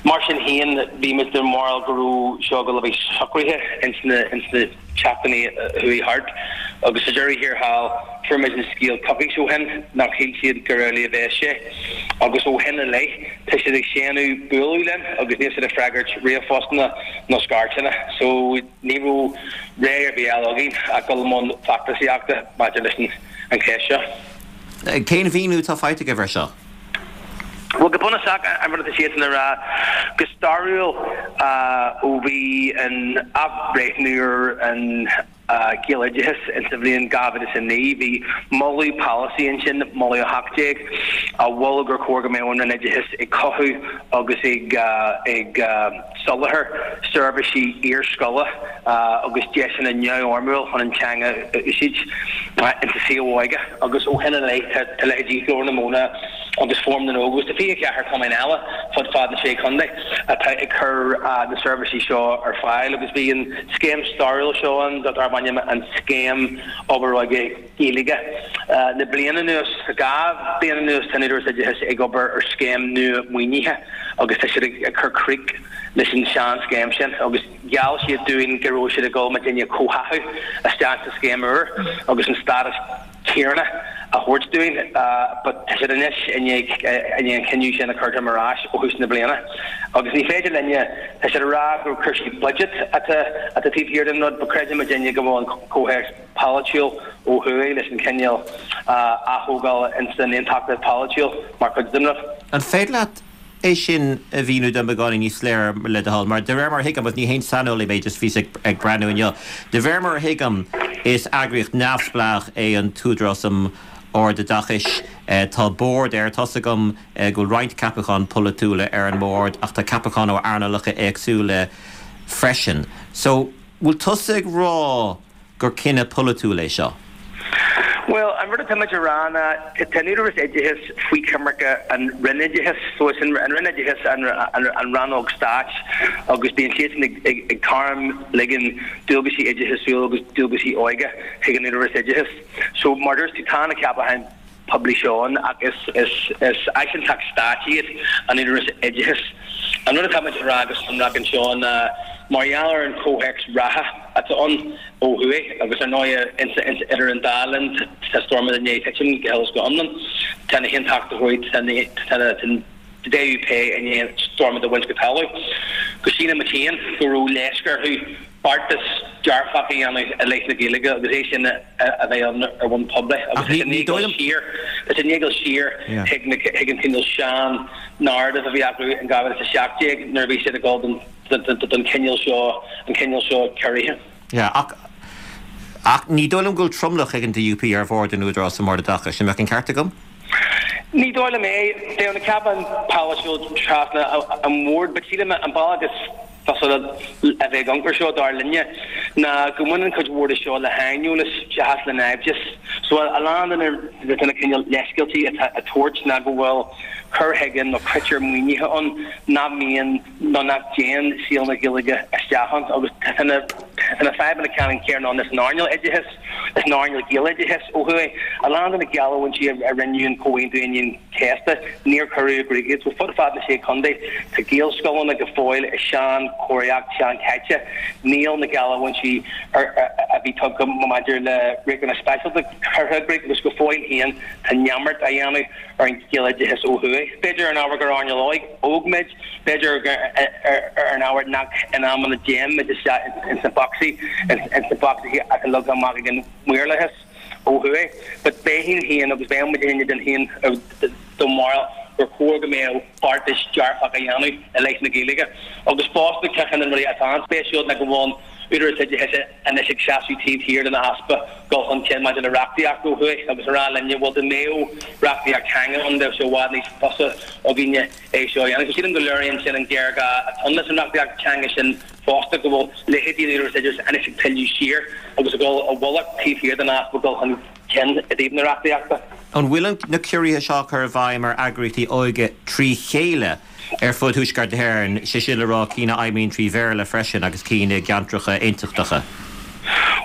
[SPEAKER 6] Mar sin féin, bhí muid den bharúil go raibh seo ag dul a bheith socraithe ins na, ins na seachtainí a chuaigh thart. Agus sa deireadh thiar thall, fuair muid an scéal coicís ó shin nach shíl siad gur amhlaidh a bheas sé. Agus ó shin i leith, tá siad ag séanadh bualadh linn agus níl siad ag freagairt ríomhphostanna nó scairteanna. So ní raibh rogha ar bith eile againn ach dul i mbun feachtasaíochta maidir leis an cheist seo.
[SPEAKER 1] Cén mhíniú atá faighte agaibh air seo?
[SPEAKER 6] Bhuel, go bunúsach, an rud atá siadsan a rá, go stairiúil, ó bhí an athbhreithniú ar an Ghaeloideachas insa bhliain dhá mhíle is a naoi, bhí moladh polasaí ansin, moladh a hocht déag, a mhol gur chóir go mbeadh an Roinn Oideachais ag cothú agus ag ag soláthar seirbhísí iarscoile agus deiseanna neamhfhoirmiúil chun an teanga a úsáid insa saol óige. Agus ó shin i leith tá leithéidí Ghlór na Móna agus Fóram na nÓg agus tá fiche ceathair cumann eile fud fad na Sé Chontae atá ag cur na seirbhísí seo ar fáil agus bhí an scéim stairiúil seo ann darb ainm an Scéim Obair Óige Gaeilge. Le bliain anuas, dhá bhliain anuas tá an Údarás Oideachais ag obair ar scéim nua maoinithe agus tá siad ag cur crích leis an sean-scéim sin agus gheall siad dúinn go raibh siad ag dul muidinne a chomhtháthú isteach sa scéim úr agus an stádas céanna a thabhairt dúinn but tá siad anois i ndiaidh an cinneadh sin a chur ar ais ó thús na bliana agus ní féidir linne, tá siad ag rá gur cúrsaí budget atá atá taobh thiar den rud but creideann muidinne go bhfuil an comhthéacs polaitiúil ó thuaidh leis an chineál aththógála ins an aontachtas polaitiúil mar chuid den rud.
[SPEAKER 1] An féidir leat é sin a mhíniú dom beagáinín níos soiléire le do thoil, mar de réir mar a thuigim, agus ní haon saineolaí mé, just bhíos ag breathnú inniu, de réir mar a thuigim is eagraíocht neamhspleách é an tÚdarás um Ardoideachais, tá bord air, tá's agam go bhfuil roinnt ceapacháin polaitiúla ar an mbord ach tá ceapacháin ó earnálacha éagsúla freisin. So, bhfuil tusa ag rá gur cinneadh polaitiúil é seo?
[SPEAKER 6] Bhuel, an rud atá muid a rá ná tá an Údarás Oideachais faoi choimirce an Roinn Oideachais. So is an Roinn Oideachais an rannóg stáit agus bíonn siadsan ag tarmligean dualgaisí oideachasúil agus dualgaisí óige chuig an Údarás Oideachais. So mar a dúirt tú, tá na ceapacháin poiblí seo ann ach is áisinteacht stáit iad an Údarás Oideachais. An rud atá muid a rá go sonrach anseo ná mar gheall ar an chomhthéacs reatha atá ann ó thuaidh agus ar ndóigh idir an dá linn tá Stormont i ndiaidh titim go huile is go hiomlán, tá na hAontachtóirí, tá an DUP i ndiaidh Stormont a bhaint go talamh. Go síleann muid féin go raibh leisce orthu beartas dearfach a dhéanamh i leith na Gaeilge agus é sin a bheith ann ar bhonn poiblí agus tá sé i ndiaidh dul siar, tá sé i ndiaidh dul siar chuig an cineál sean narrative a bhí acu in dhá mhíle is a seacht déag nuair a bhí siad ag dul don chineál seo, an cineál seo ciorraithe.
[SPEAKER 1] Yeah, ach, ach ní dóigh liom go bhfuil tromlach ag an DUP ar bhord an Údarás um Ardoideachais, an mbeadh an ceart agam?
[SPEAKER 6] Ní dóigh liom é. Bheadh na ceapacháin polaitiúil trasna an bhoird, but sílim an bealach is fusa a bheith ag amharc air seo, dar linne, ná go mbaineann cuid mhór de seo le haineolas seachas le naimhdeas. So a lán de na cineál leithscéaltaí atá á dtabhairt ná go bhfuil cur chuige nó critéir maoinithe ann nach mbíonn nó nach dtéann saol na Gaeilge isteach ann agus tá na tá na fadhbanna ceannann céanna ann san earnáil oideachais, san earnáil Gaeloideachais ó thuaidh. A lán de na geallúintí a rinneadh in Comhaontú Aoine an Chéasta, níor cuireadh i gcrích iad. So fud fad na Sé Chontae, tá Gaelscoileanna go fóill i sean-chóiríocht seanchaite. Níl na geallúintí a bhí tugtha maidir le riachtanais speisialta curtha i gcrích agus go fóill féin tá neamart á dhéanamh ar an Ghaeloideachas ó thuaidh. B'fhéidir ar an ábhar gur earnáil óg muid, b'fhéidir ar an ábhar nach in amanna dtéann muid isteach ins na bocsaí, ins na bocsaí atá leagtha amach ag an maorlathas ó thuaidh. But bheinn féin agus bheadh muid féin den féin den bharúil gur chóir go mbeadh beartas dearfach á dhéanamh i leith na Gaeilge. Agus fosta ceann de na rudaí atá an-spéisiúil ná go bhfuil an Údarás Oideachais anois ag seasamh taobh thiar den easpa dul chun cinn maidir le reachtaíocht ó thuaidh agus a rá linne bhuel dá mbeadh reachtaíocht teanga ann bheadh sé i bhfad níos fusa againne é seo a dhéanamh. So sílim go léiríonn sin an géarghá atá ann leis an reachtaíocht teanga sin fosta, go bhfuil leithéidí an Údarás Oideachais anois ag pilleadh siar agus ag dul i bhfolach taobh thiar den easpa dul chun cinn i dtaobh na reachtaíochta.
[SPEAKER 1] An bhfuil na ciorruithe seo á cur i bhfeidhm ar eagraíochtaí óige trí chéile ar fud Thuaisceart na hÉireann, sé sin le rá cinn a fheidhmíonn trí Bhéarla freisin agus cinn i gceantracha aontachtacha?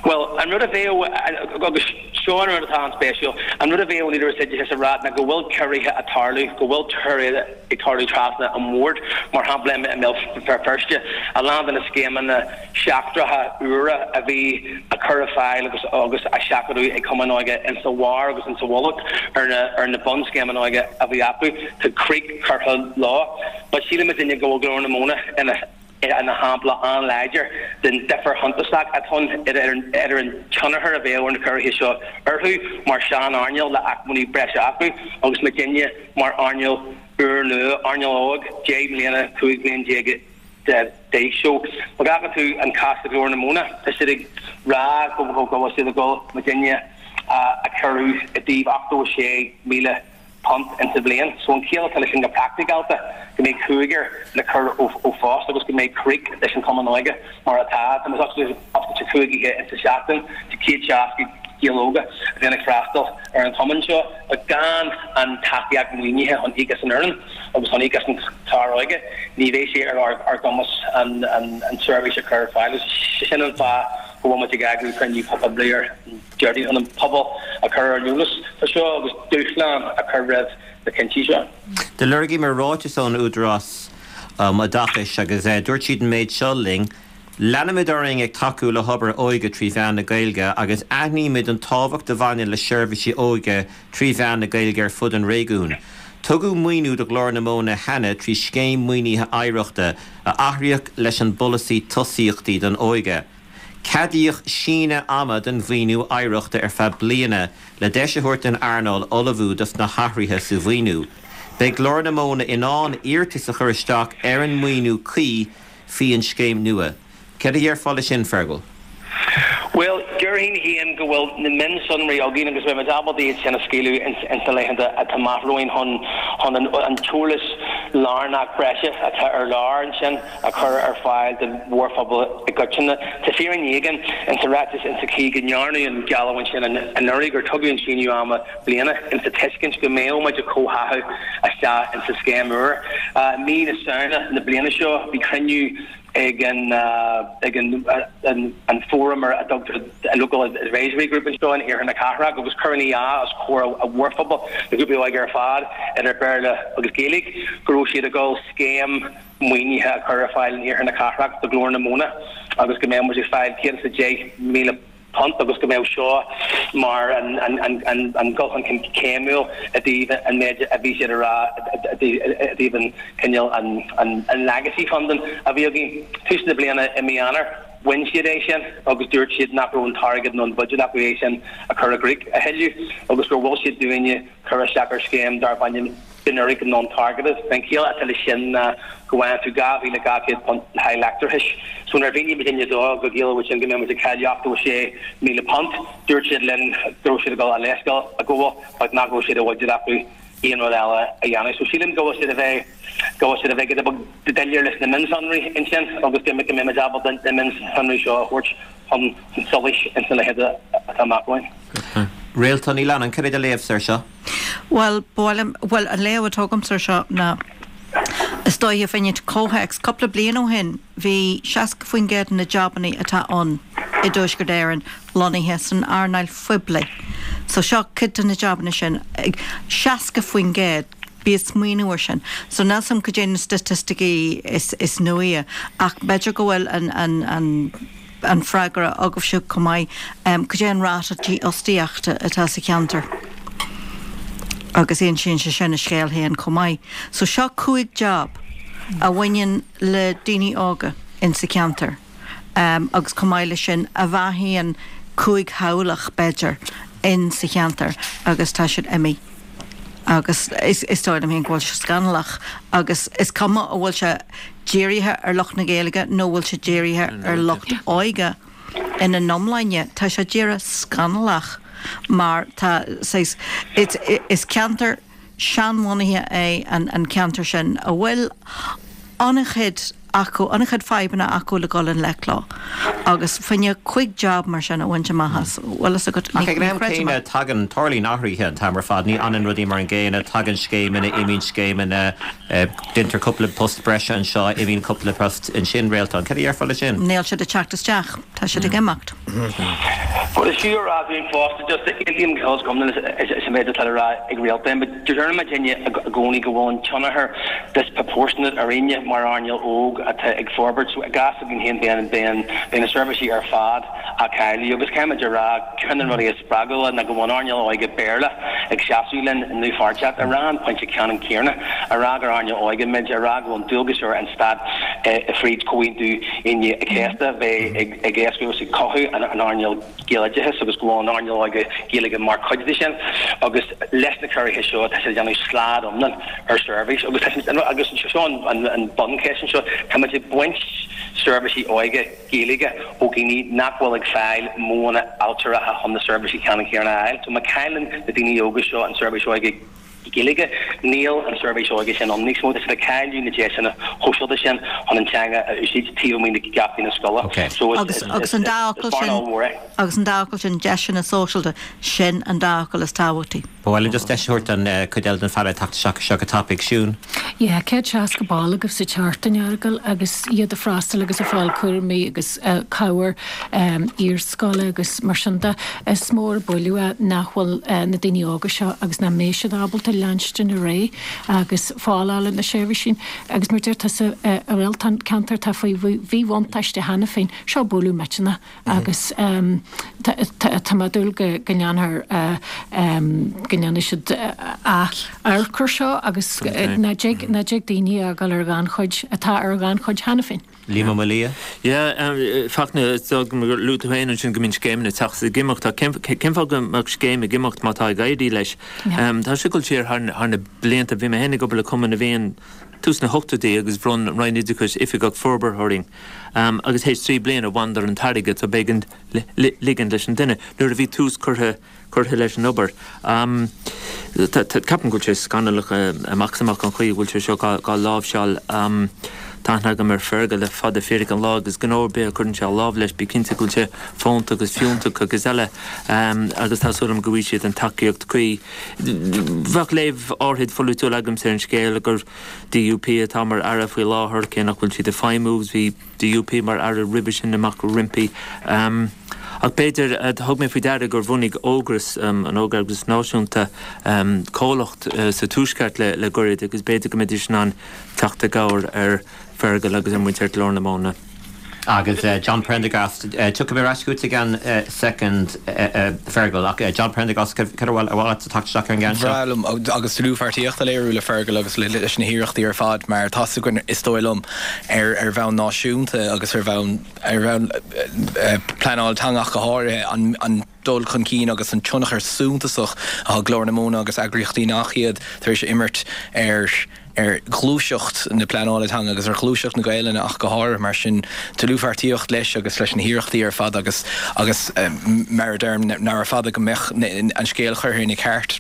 [SPEAKER 6] Bhuel, An rud a bheadh, agus seo an rud atá an-spéisiúil, an rud a bheadh an Údarás Oideachais a rá ná go bhfuil ciorruithe ag tarlú, go bhfuil ciorruithe ag tarlú trasna an bhord, mar shampla i mBéal Feirste, a lán de na scéimeanna seachtracha úra a bhí á cur ar fáil agus agus á seachadadh ag cumainn óige insa bharr agus insa mhullach ar na ar na bunscéimeanna óige a bhí acu, tá crích curtha leo. But síleann muidinne go bhfuil Glór na Móna ina ina shampla an-láidir den difear shuntasach atá ann idir an tionchar a bheadh ar na ciorruithe seo orthu mar sean-earnáil le acmhainní breise acu agus muidinne mar earnáil úrnua, earnáil óg, deich mbliana, cúig bhliain déag d'aois. So, má fheiceann tú an cás do Ghlór na Móna, tá siad ag rá go bhfuil siad ag dul muidinne a chiorrú i dtaobh ochtó a sé míle punt insa bhliain. So an chiall atá leis sin go praiticiúlta, go mbeidh cúigear le cur ó phost agus go mbeidh crích leis an Chumann Óige mar atá. Tá muid oscailte cúig oíche insa seachtain do céad seasca Gael óga a bhíonn ag freastal ar an chumann seo ach gan an tacaíocht maoinithe chun íoc as an fhoireann agus chun íoc as an chlár óige ní bheidh sé ar ár gcumas an tseirbhís a chur ar fáil. Sin an fáth go bhfuil muid ag eagrú cruinniú poiblí ar an Déardaoin chun an pobal a chur ar an eolas faoi seo agus dúshlán a chur roimh na cinntí seo.
[SPEAKER 1] Do lorgaíomar ráiteas ón Údarás um Oideachais agus dúirt siad an méid seo linn, Leanfaimid orainn ag tacú le hobair óige trí mheán na Gaeilge agus aithnímid an tábhacht a bhaineann le seirbhísí óige trí mheán na Gaeilge ar fud an réigiúin. Tugadh maoiniú do Ghlór na Móna cheana trí Scéim Maoinithe Oidhreachta a athraíodh leis an bPolasaí Tosaíochtaí don Óige. Ceadaíodh síneadh ama don mhaoiniú oidhreachta ar feadh bliana le deis a thabhairt don earnáil ullmhú dos na hathruithe sa mhaoiniú. Beidh Glór na Móna in ann iarratas a chur isteach ar an maoiniú cuí faoi an scéim nua. Céard a déarfá leis sin, Fergal?
[SPEAKER 6] Bhuel, déarfainn féin go bhfuil na mionsonraí againn agus beidh muid ábalta iad sin a scaoileadh ins na laethanta atá amach romhainn chun chun an t-eolas lárnach breise atá ar lár ansin a chur ar fáil don mhórphobal i gcoitinne. Tá fírinne éigin insa ráiteas insa chaoi go ndearnadh an gheallúint sin anuraidh gur tugadh an síneadh ama bliana insa tuiscint go mbeadh muid ag comhtháthú isteach insa scéim úr. Mí na Samhna na bliana seo bhí cruinniú ag an ag an an fóram ar a dtugtar Local Advisory Group anseo in iarthar na cathrach agus cuireadh in iúl os comhair an mhórphobail, na grúpaí óige ar fad, idir Béarla agus Gaeilge, go raibh siad ag dul scéim maoinithe a chur ar fáil in iarthar na cathrach do Ghlór na Móna agus go mbeadh muid ag fáil céad is a deich míle punt agus go mbeadh seo mar an dul chun cinn céimiúil i dtaobh an méid a bhí siad a rá i dtaobh an cineál an legacy funding a bhí againn. Tús na bliana i mí Eanáir, bhain siad é sin agus dúirt siad nach raibh an t-airgead nó an buiséad acu é sin a chur i gcrích a thuilleadh agus gur mhol siad dúinne cur isteach ar scéim darb ainm Generic Non-Targeted. An chiall atá leis sin ná go bhfaigheann tú dhá mhíle dhá chéad punt le haghaidh leictreachais. So nuair a mhínigh muidinne dóibh go gciallódh sin go mbeadh muid ag cailleadh ochtó a sé míle punt, dúirt siad linn go raibh siad ag dul a leithscéal a ghabháil ach nach raibh sé de bhuiséad acu aon rud eile a dhéanamh. So sílim go bhfuil siad a bheith go bhfuil siad a bheith giota beag doiléir leis na mionsonraí ansin agus go mbeidh muid ábalta na mionsonraí seo a thabhairt chun solais ins na laethanta atá amach romhainn.
[SPEAKER 1] Réaltán Ní Leannáin, cad é do léamhsa air seo?
[SPEAKER 2] Bhuel, ba mhaith liom, bhuel, an léamh atá agamsa air seo ná, is dóiche, fá choinne comhthéacs, cúpla bliain ó shin bhí seasca faoin gcéad de na jabannaí atá ann i dTuaisceart Éireann lonnaithe san earnáil phoiblí. So seo cuid de na jabanna sin, seasca faoin gcéad, bí ag smaoineamh air sin. So níl 's a'm cad é na staitisticí is, is nuaí ach b'fhéidir go bhfuil an, an, an, an freagra agaibhse chomh maith, cad é an ráta dífhostaíochta atá sa cheantar? Agus insíonn sé sin a scéal féin chomh maith. So seo cúig job a bhaineann le daoine óga insa cheantar agus chomh maith leis sin a bheathaíonn cúig theaghlach b'fhéidir insa cheantar agus tá siad imithe. Agus is dóigh liom féin go bhfuil sé scannalach agus is cuma an bhfuil sé dírithe ar lucht na Gaeilge nó bhfuil sé dírithe ar lucht óige ina n-iomláine, tá sé díreach scannalach mar tá saghas, is ceantar seanbhunaithe é an ceantar sin a bhfuil an-chuid acu an-chuid fadhbanna acu le dul i ngleic leo agus fá choinne cúig job mar sin a bhaint amach as bhfuil fhios agat
[SPEAKER 1] Ach ag an am céanna tagann tarlaíonn athruithe an t-am ar fad ní fhanann rudaí mar an gcéanna tagann scéimeanna imíonn scéimeanna déantar cúpla post breise anseo imíonn cúpla post ansin Réaltán Cad a dhéarfá leis sin?
[SPEAKER 2] Níl siad ag teacht isteach tá siad ag imeacht.
[SPEAKER 6] Well is fiú a rá dúinn fosta just aontaím go hiomlán leis an méid atá le rá ag Réaltán, but deireann muidinne i gcónaí go bhfuil an tionchar disproportionate ar éinne mar earnáil óg atá ag forbairt. So i gcás againn féin bíonn bíonn bíonn na seirbhísí ar fad á cailleadh agus caithfimid a rá ceann de na rudaí is spreagúla ná go bhfuil an earnáil óige Béarla ag seasamh linn i ndlúthpháirtíocht a rá an pointe ceannann céanna a rá gur earnáil óige muid a rá go bhfuil dualgas ar an stát fríd Chomhaontú Aoine an Chéasta bheith ag ag éascú agus ag cothú an earnáil Gaeloideachais agus go bhfuil an earnáil óige Gaeilge mar chuid de sin agus leis na ciorruithe seo tá siad ag déanamh slad iomlán ar seirbhís agus tá agus seo an an buncheist anseo tá muid ag baint seirbhísí óige Gaeilge ó dhaoine nach bhfuil ag fáil modhanna ailtireacha chun na seirbhísí ceannann céanna a fháil. So má chailleann na daoine óga seo an seirbhís óige Gaeilge, níl an seirbhís óige sin ann níos mó. Tá siad ag cailleadh na deiseanna shóisialta sin chun an teanga a úsáid taobh amuigh de gheataí na scoile. So is
[SPEAKER 2] Agus agus an dá fhocal
[SPEAKER 6] is
[SPEAKER 2] sin
[SPEAKER 6] bearna ollmhór é.
[SPEAKER 2] agus an dá fhocal sin deiseanna sóisialta sin an dá fhocal is tábhachtaí.
[SPEAKER 1] Ba mhaith liom just deis a thabhairt don chuid eile den phainéal teacht isteach seo go tapaidh Siún.
[SPEAKER 5] Yeah, céad seasca ball agaibh sa tseachtain Fheargail agus iad ag freastal agus ag fáil cúraimí agus cabhair iarscoile agus mar sin de. Is mór an buille é nach bhfuil na daoine óga seo agus nach mbeidh siad ábalta leanstan ar aghaidh agus fáil ar na seirbhísí agus mar deir tusa a Réaltán ceantar atá faoi mhíbhuntáiste cheana féin, seo bualadh millteanach agus tá mé ag dúil go ndéanfar go ndéanfaidh siad amharc air seo agus nach dtig nach dtig daoine a fhágáil ar ghannchuid atá ar ghannchuid cheana féin.
[SPEAKER 1] Liam Ó Maolaodha?
[SPEAKER 3] Yeah, Fachtna, is dóigh gur luaigh tú féin ansin go mbíonn scéimeanna ag teacht is ag imeacht. Cén cén fáth go mbeadh scéim ag imeacht má tá ag éirí leis? Tá sé ag dul siar thar thar na blianta. Bhí mé féin ag obair le Cumann na bhFiann tús na hochtóidí agus bhronn an Roinn Oideachais oifigeach forbartha orainn. Agus théis trí bliana bhaineadar an t-airgead so b'éigean ligean leis an duine nuair a bhí tús curtha curtha leis an obair. Ceapaim go bhfuil sé scannalach amach is amach an chaoi a bhfuil sé seo á láimhseáil. Tá aithne agam ar Fergal le fada fíric an lá agus gnó ar bith a chuireann sé a lámh leis bí cinnte go bhfuil sé fónta agus fiúntach agus eile agus tá súil agam go bhfaighidh siad an tacaíocht cuí. Bheadh léamh áirid pholaitiúil agamsa ar an scéal gur DUP atá mar aire faoi láthair cé nach bhfuil siad ag feidhmiú agus bhí DUP mar aire roimhe sin amach roimpi. Ach b'fhéidir, thug mé faoi deara gur bhunaigh Ógras, an Ógeagras Náisiúnta, comhlacht sa Tuaisceart le gairid agus b'fhéidir go mbeidís in ann teacht i gcabhair ar Fergal agus ar mhuintir Ghlór na Móna.
[SPEAKER 1] Agus John Prendergast, tiocfaidh mé ar ais chugat i gceann soicind, Fergal, ach John Prendergast, cad ar mhaith leat teacht isteach ar an gceann seo?
[SPEAKER 4] Bhreá liom agus dlúthpháirtíocht a léiriú le Fergal agus leis na hiarrachtaí ar fad mar tá 's againn, is dóigh liom, ar ar bhonn náisiúnta agus ar bhonn ar bhonn pleanáil teanga ach go háirithe, an an dul chun cinn agus an tionchar suntasach atá Glór na Móna agus eagraíochtaí nach iad tar éis a imirt ar ar ghluaiseacht na pleanála teanga agus ar ghluaiseacht na Gaelainne ach go háirithe. Mar sin, dlúthpháirtíocht leis agus leis na hiarrachtaí ar fad agus agus mar a deirim, nárbh fada go mbeadh an scéal curtha ina cheart.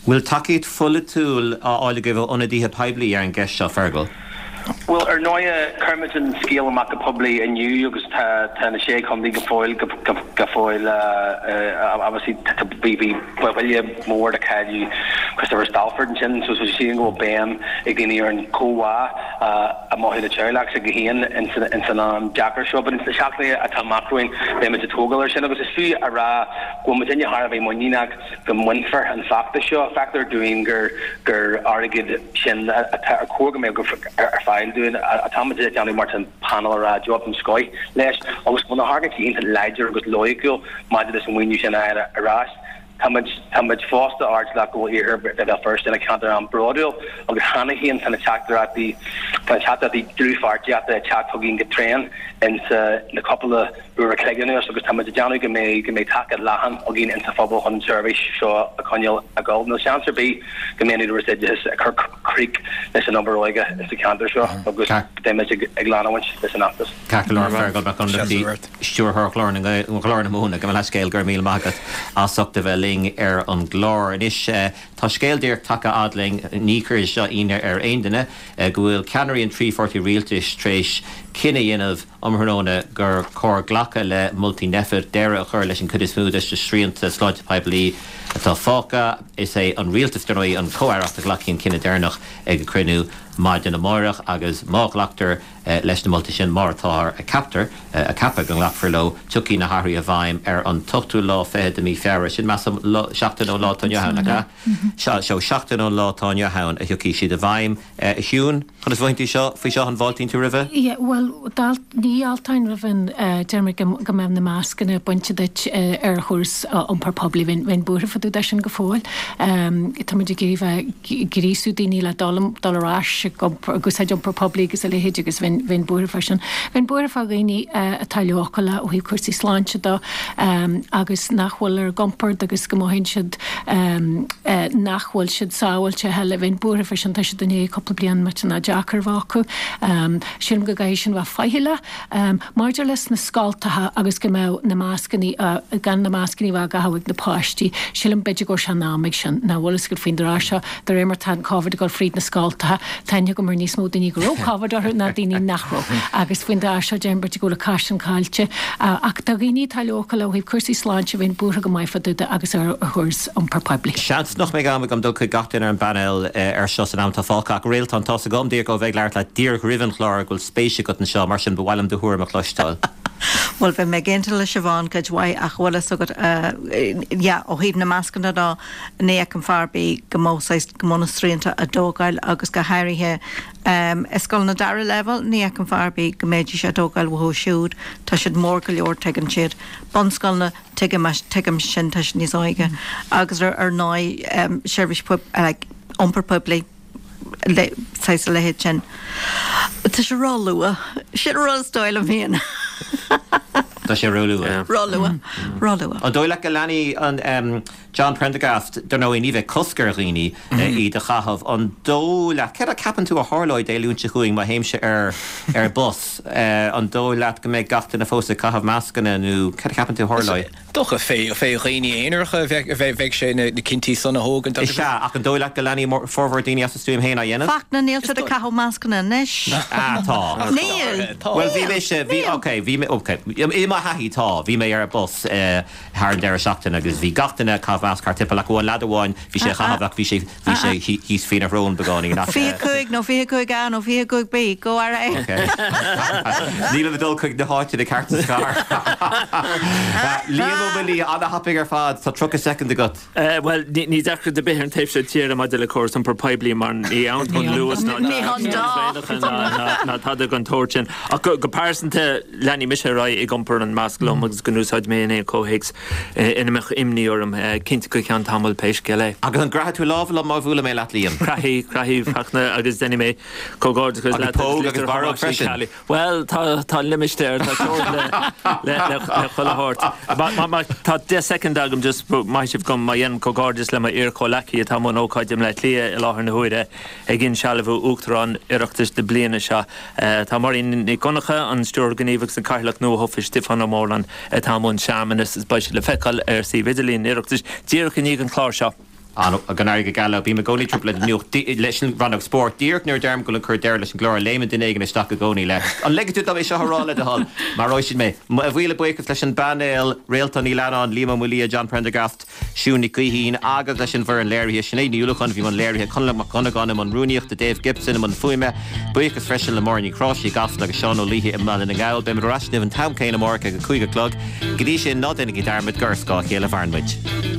[SPEAKER 1] Bhfuil tacaíocht pholaitiúil á fháil agaibh ó ionadaithe poiblí ar an gceist seo, Fergal?
[SPEAKER 6] Bhuel, ar ndóighe, chuir muid an scéal amach go poiblí inniu agus tá tá na Sé Chontae go fóill go go fóill obviously bhí bhí buille mór de cailleadh Christopher Stalford ansin so so sílim go bhfuil béim ag daoine ar an chomhbhá a mothú le teaghlach s'acu féin ins an am deacair seo. But ins na seachtainí atá amach romhainn beidh muid ag tógáil ar sin agus is fiú a rá go bhfuil muidinne thar a bheith muiníneach go mbainfear an feachtas seo. Feictear dúinn gur gur airgead sin atá ar chóir go mbeadh ar fáil dúinn atá muid ag déanamh mar tá an panel ag rá job den scoith leis agus go bhfuil na hargóintí iontach láidir agus loighciúil maidir leis an mhaoiniú sin a fháil ar ais. Tá muid tá muid fosta airdeallach go bhfuil Iarthar Bhéal Feirste ina cheantar an-bhródúil agus cheana féin tá na teachtaireachtaí tá na teachtaireachtaí dlúthpháirtíochta ag teacht chugainn go tréan insa na cúpla uair a chloig anuas agus tá muid ag déanamh go mbeidh go mbeidh taca leathan againn insa phobal chun an tseirbhís seo a choinneáil ag dul. Níl seans ar bith go mbeidh an Údarás Oideachais ag cur crích leis an obair óige sa cheantar seo agus beidh muid ag leanúint leis an fheachtas.
[SPEAKER 1] Ceart go leor, Fergal Mac Fhionnachtaigh, Stiúrthóir Ghlór na Ghlór na Móna, gabh mo leithscéal, go raibh míle maith agat as ucht a bheith linn ar an gclár. Anois tá Tá scéal díreach tagtha fhad linn, ní chuirfidh seo ionadh ar aon duine, go bhfuil ceannairí an trí pháirtí rialtais tar éis cinneadh a dhéanamh um thráthnóna gur chóir glacadh le moltaí Nphet, deireadh a chur leis an chuid is mó de na srianta sláinte poiblí atá fágtha. Is é an rialtas, dar ndóigh, an chomh-aireacht a ghlacfaidh an cinneadh deireanach ag a cruinniú maidin amárach agus má ghlactar leis na moltaí sin, mar atá a ceaptar, a ceapadh go nglacfar leo, tiocfaidh na hathruithe i bhfeidhm ar an t-ochtú lá fichead de mhí Feabhra. Sin, measaim, seachtain ón lá atá inniu ann, nach ea? Sea, seo seachtain ón lá atá inniu ann a thiocfaidh siad i bhfeidhm. A Shiún, conas a mhothaíonn tú seo faoi seo, an bhfáiltíonn tú roimhe?
[SPEAKER 5] Yeah, bhuel, ní fháilteoinn roimh an, deir mé go mbeadh na mascanna bainte duit ar chóras iompar poiblí, bheinn, bheinn buartha fá dtaobh de sin go fóill. Tá muid ag iarraidh bheith ag gríosú daoine le dul, dul ar ais ag iompar, ag úsáid iompar poiblí agus a leithéid agus bheinn, bheinn buartha fá sin. Bheinn buartha fá dhaoine atá leochaileach ó thaobh cúrsaí sláinte de agus nach bhfuil ar a gcompord agus go mothaíonn siad nach bhfuil siad sábháilte a thuilleadh. Bheinn buartha fá sin, tá siad i ndiaidh cúpla bliain millteanach deacair a bheith acu. Sílim go gcaithfidh sin bheith faichilleach. Maidir leis na scoltacha agus go mbeadh na mascannaí, gan na mascannaí a bheith á gcaitheamh ag na páistí, sílim b'fhéidir go bhfuil sé in am ag sin. Nach bhfuil fhios agat faoin dtráth seo, de réir mar tá an Covid ag dul fríd na scoltacha, tá aithne agam ar níos mó daoine go raibh Covid orthu ná daoine nach raibh. Agus faoin dtráth seo, déarfainn b'fhéidir go bhfuil an cath sin caillte. Ach do dhaoine atá leochaileach ó thaobh cúrsaí sláinte, bheinn buartha go maith fá dtaobh de agus ar chóras iompar poiblí.
[SPEAKER 1] Seans nach mbeidh am agam dul chuig gach duine ar an bpainéal ar seo san am atá fágtha, ach Réaltán, tá's agam, díreach ó bheith ag labhairt leat díreach roimh an chlár go bhfuil spéis agat anseo, mar sin ba mhaith liom do thuairim a chloisteáil.
[SPEAKER 2] Bhuel, bheinn ag aontú le Siobhán cuid mhaith ach bhfuil fhios agat, yeah, ó thaobh na mascanna de, ní fheicim fáth ar bith go mbeadh saghas, go mbeadh na srianta á dtógáil agus go háirithe i scoileanna dara leibhéal, ní fheicim fáth ar bith go mbeidís á dtógáil uathu siúd, tá siad mór go leor, tuigeann siad. Bunscoileanna, tuigim, tuigim sin, tá siad níos óige. Agus ar ndóigh, seirbhís poib, like, iompar poiblí, le, saghas a leithéid sin. Tá sé ró-luath. Sin an rud is dóigh liom féin.
[SPEAKER 1] Tá sé ró-luath.
[SPEAKER 2] Ró-luath. Ró-luath.
[SPEAKER 1] An dóigh leat go leanfaidh an John Prendergast, dar ndóigh ní bheidh cosc ar dhaoine iad a chaitheamh, an dóigh leat, céard a ceapann tú a tharlóidh Dé Luain seo chugainn má théimse ar ar bus, an dóigh leat go mbeidh gach duine fós ag caitheamh mascanna nó céard a cheapann tú a tharlóidh?
[SPEAKER 4] Dócha fé fé dhaoine aonaracha a bheidh bheidh sé na cinntí san a thógaint
[SPEAKER 1] agus. Is ea, ach an dóigh leat go leanfaidh formhór daoine as a stuaim féin á dhéanamh?
[SPEAKER 2] Fachtna, níl siad ag caitheamh mascanna anois.
[SPEAKER 1] Ah, tá.
[SPEAKER 2] Níl.
[SPEAKER 1] Bhuel, bhí mise, bhí, ok, bhí mé, ok, i mo thaithí, tá, bhí mé ar bus thar an deireadh seachtaine agus bhí gach duine ag caitheamh masc thart timpeall ach amháin leaid amháin, bhí sé á chaitheamh ach bhí sé, bhí sé thíos faoina shrón beagáinín ach.
[SPEAKER 2] Fiche cúig nó fiche cúig A nó fiche cúig B, go ar aghaidh.
[SPEAKER 1] Ok. Nílim ag dul chuig na háiteanna cearta sa chathair. Liam Ó Maolaodha, an-thapaidh ar fad, tá tríocha soicind agat.
[SPEAKER 3] Bhuel, ní deacracht ar bith ar an taobh seo tíre maidir le córas iompair poiblí mar ní ann don Luas ná traenacha ná tada den tsórt sin. Ach go pearsanta, leanfaidh mise ar aghaidh ag iompar an masc liom agus gan úsáid mé in aon chomhthéacs ina mbeadh imní orm, cinnte go ceann tamaill pé scéal é.
[SPEAKER 1] Agus an gcroithfidh tú lámh liom má bhuaileann mé leat, Liam?
[SPEAKER 3] Croithfidh, croithfidh, Fachtna, agus déanfaidh mé comhghairdeachas leat
[SPEAKER 1] Agus póg agus barróg freisin.
[SPEAKER 3] Bhuel, tá, tá limistéar, tá teorainn le, le, le, le chuile shórt. Má, má, má, tá deich soicind agam just, maith sibh dom má dhéanaim comhghairdeas le m'iar-chomhleacaí atá i mbun ócáide i mBleá Cliath i láthair na huaire ag insealbhú Uachtarán Oireachtais na bliana seo. Tá Máirín Nic Dhonncha, an Stiúrthóir Gníomhach agus an Cathaoirleach nuathofa Stiofán Ó Móráin atá i mbun searmanas is beidh siad le feiceáil ar suíomh idirlín an Oireachtais díreach i ndiaidh an chláir seo.
[SPEAKER 1] Go n-éirí go geal leo. Bím i gcónaí ag trioblóid nuacht leis an rannóg spóirt. Díreach nuair a deirim go bhfuil ag cur deireadh leis an gclár, léimeann duine éigin isteach i gcónaí le An ligfidh tú dom é seo a rá le do thoil? Maróidh siad mé. Mo mhíle buíochas leis an bpainéal, Réaltán Ní Leannáin, Liam Ó Maolaodha, John Prendergast, Siún Nic Gaoithín agus leis an bhfoireann léirithe, Sinéad Ní Uallacháin a bhí i mbun léirithe, Conall Mac Dhonnagáin i mbun rúnaíochta, Dave Gibson i mbun fuaime. Buíochas freisin le Máire Ní Chráise i gCasla agus Seán Ó Laoithe i mBaile na nGall. Beimid ar ais inniu an t-am céanna amárach ag a cúig a chlog. Go dtí sin, ná déanaigí dearmad gur ar scáth a chéile a mhaireann muid.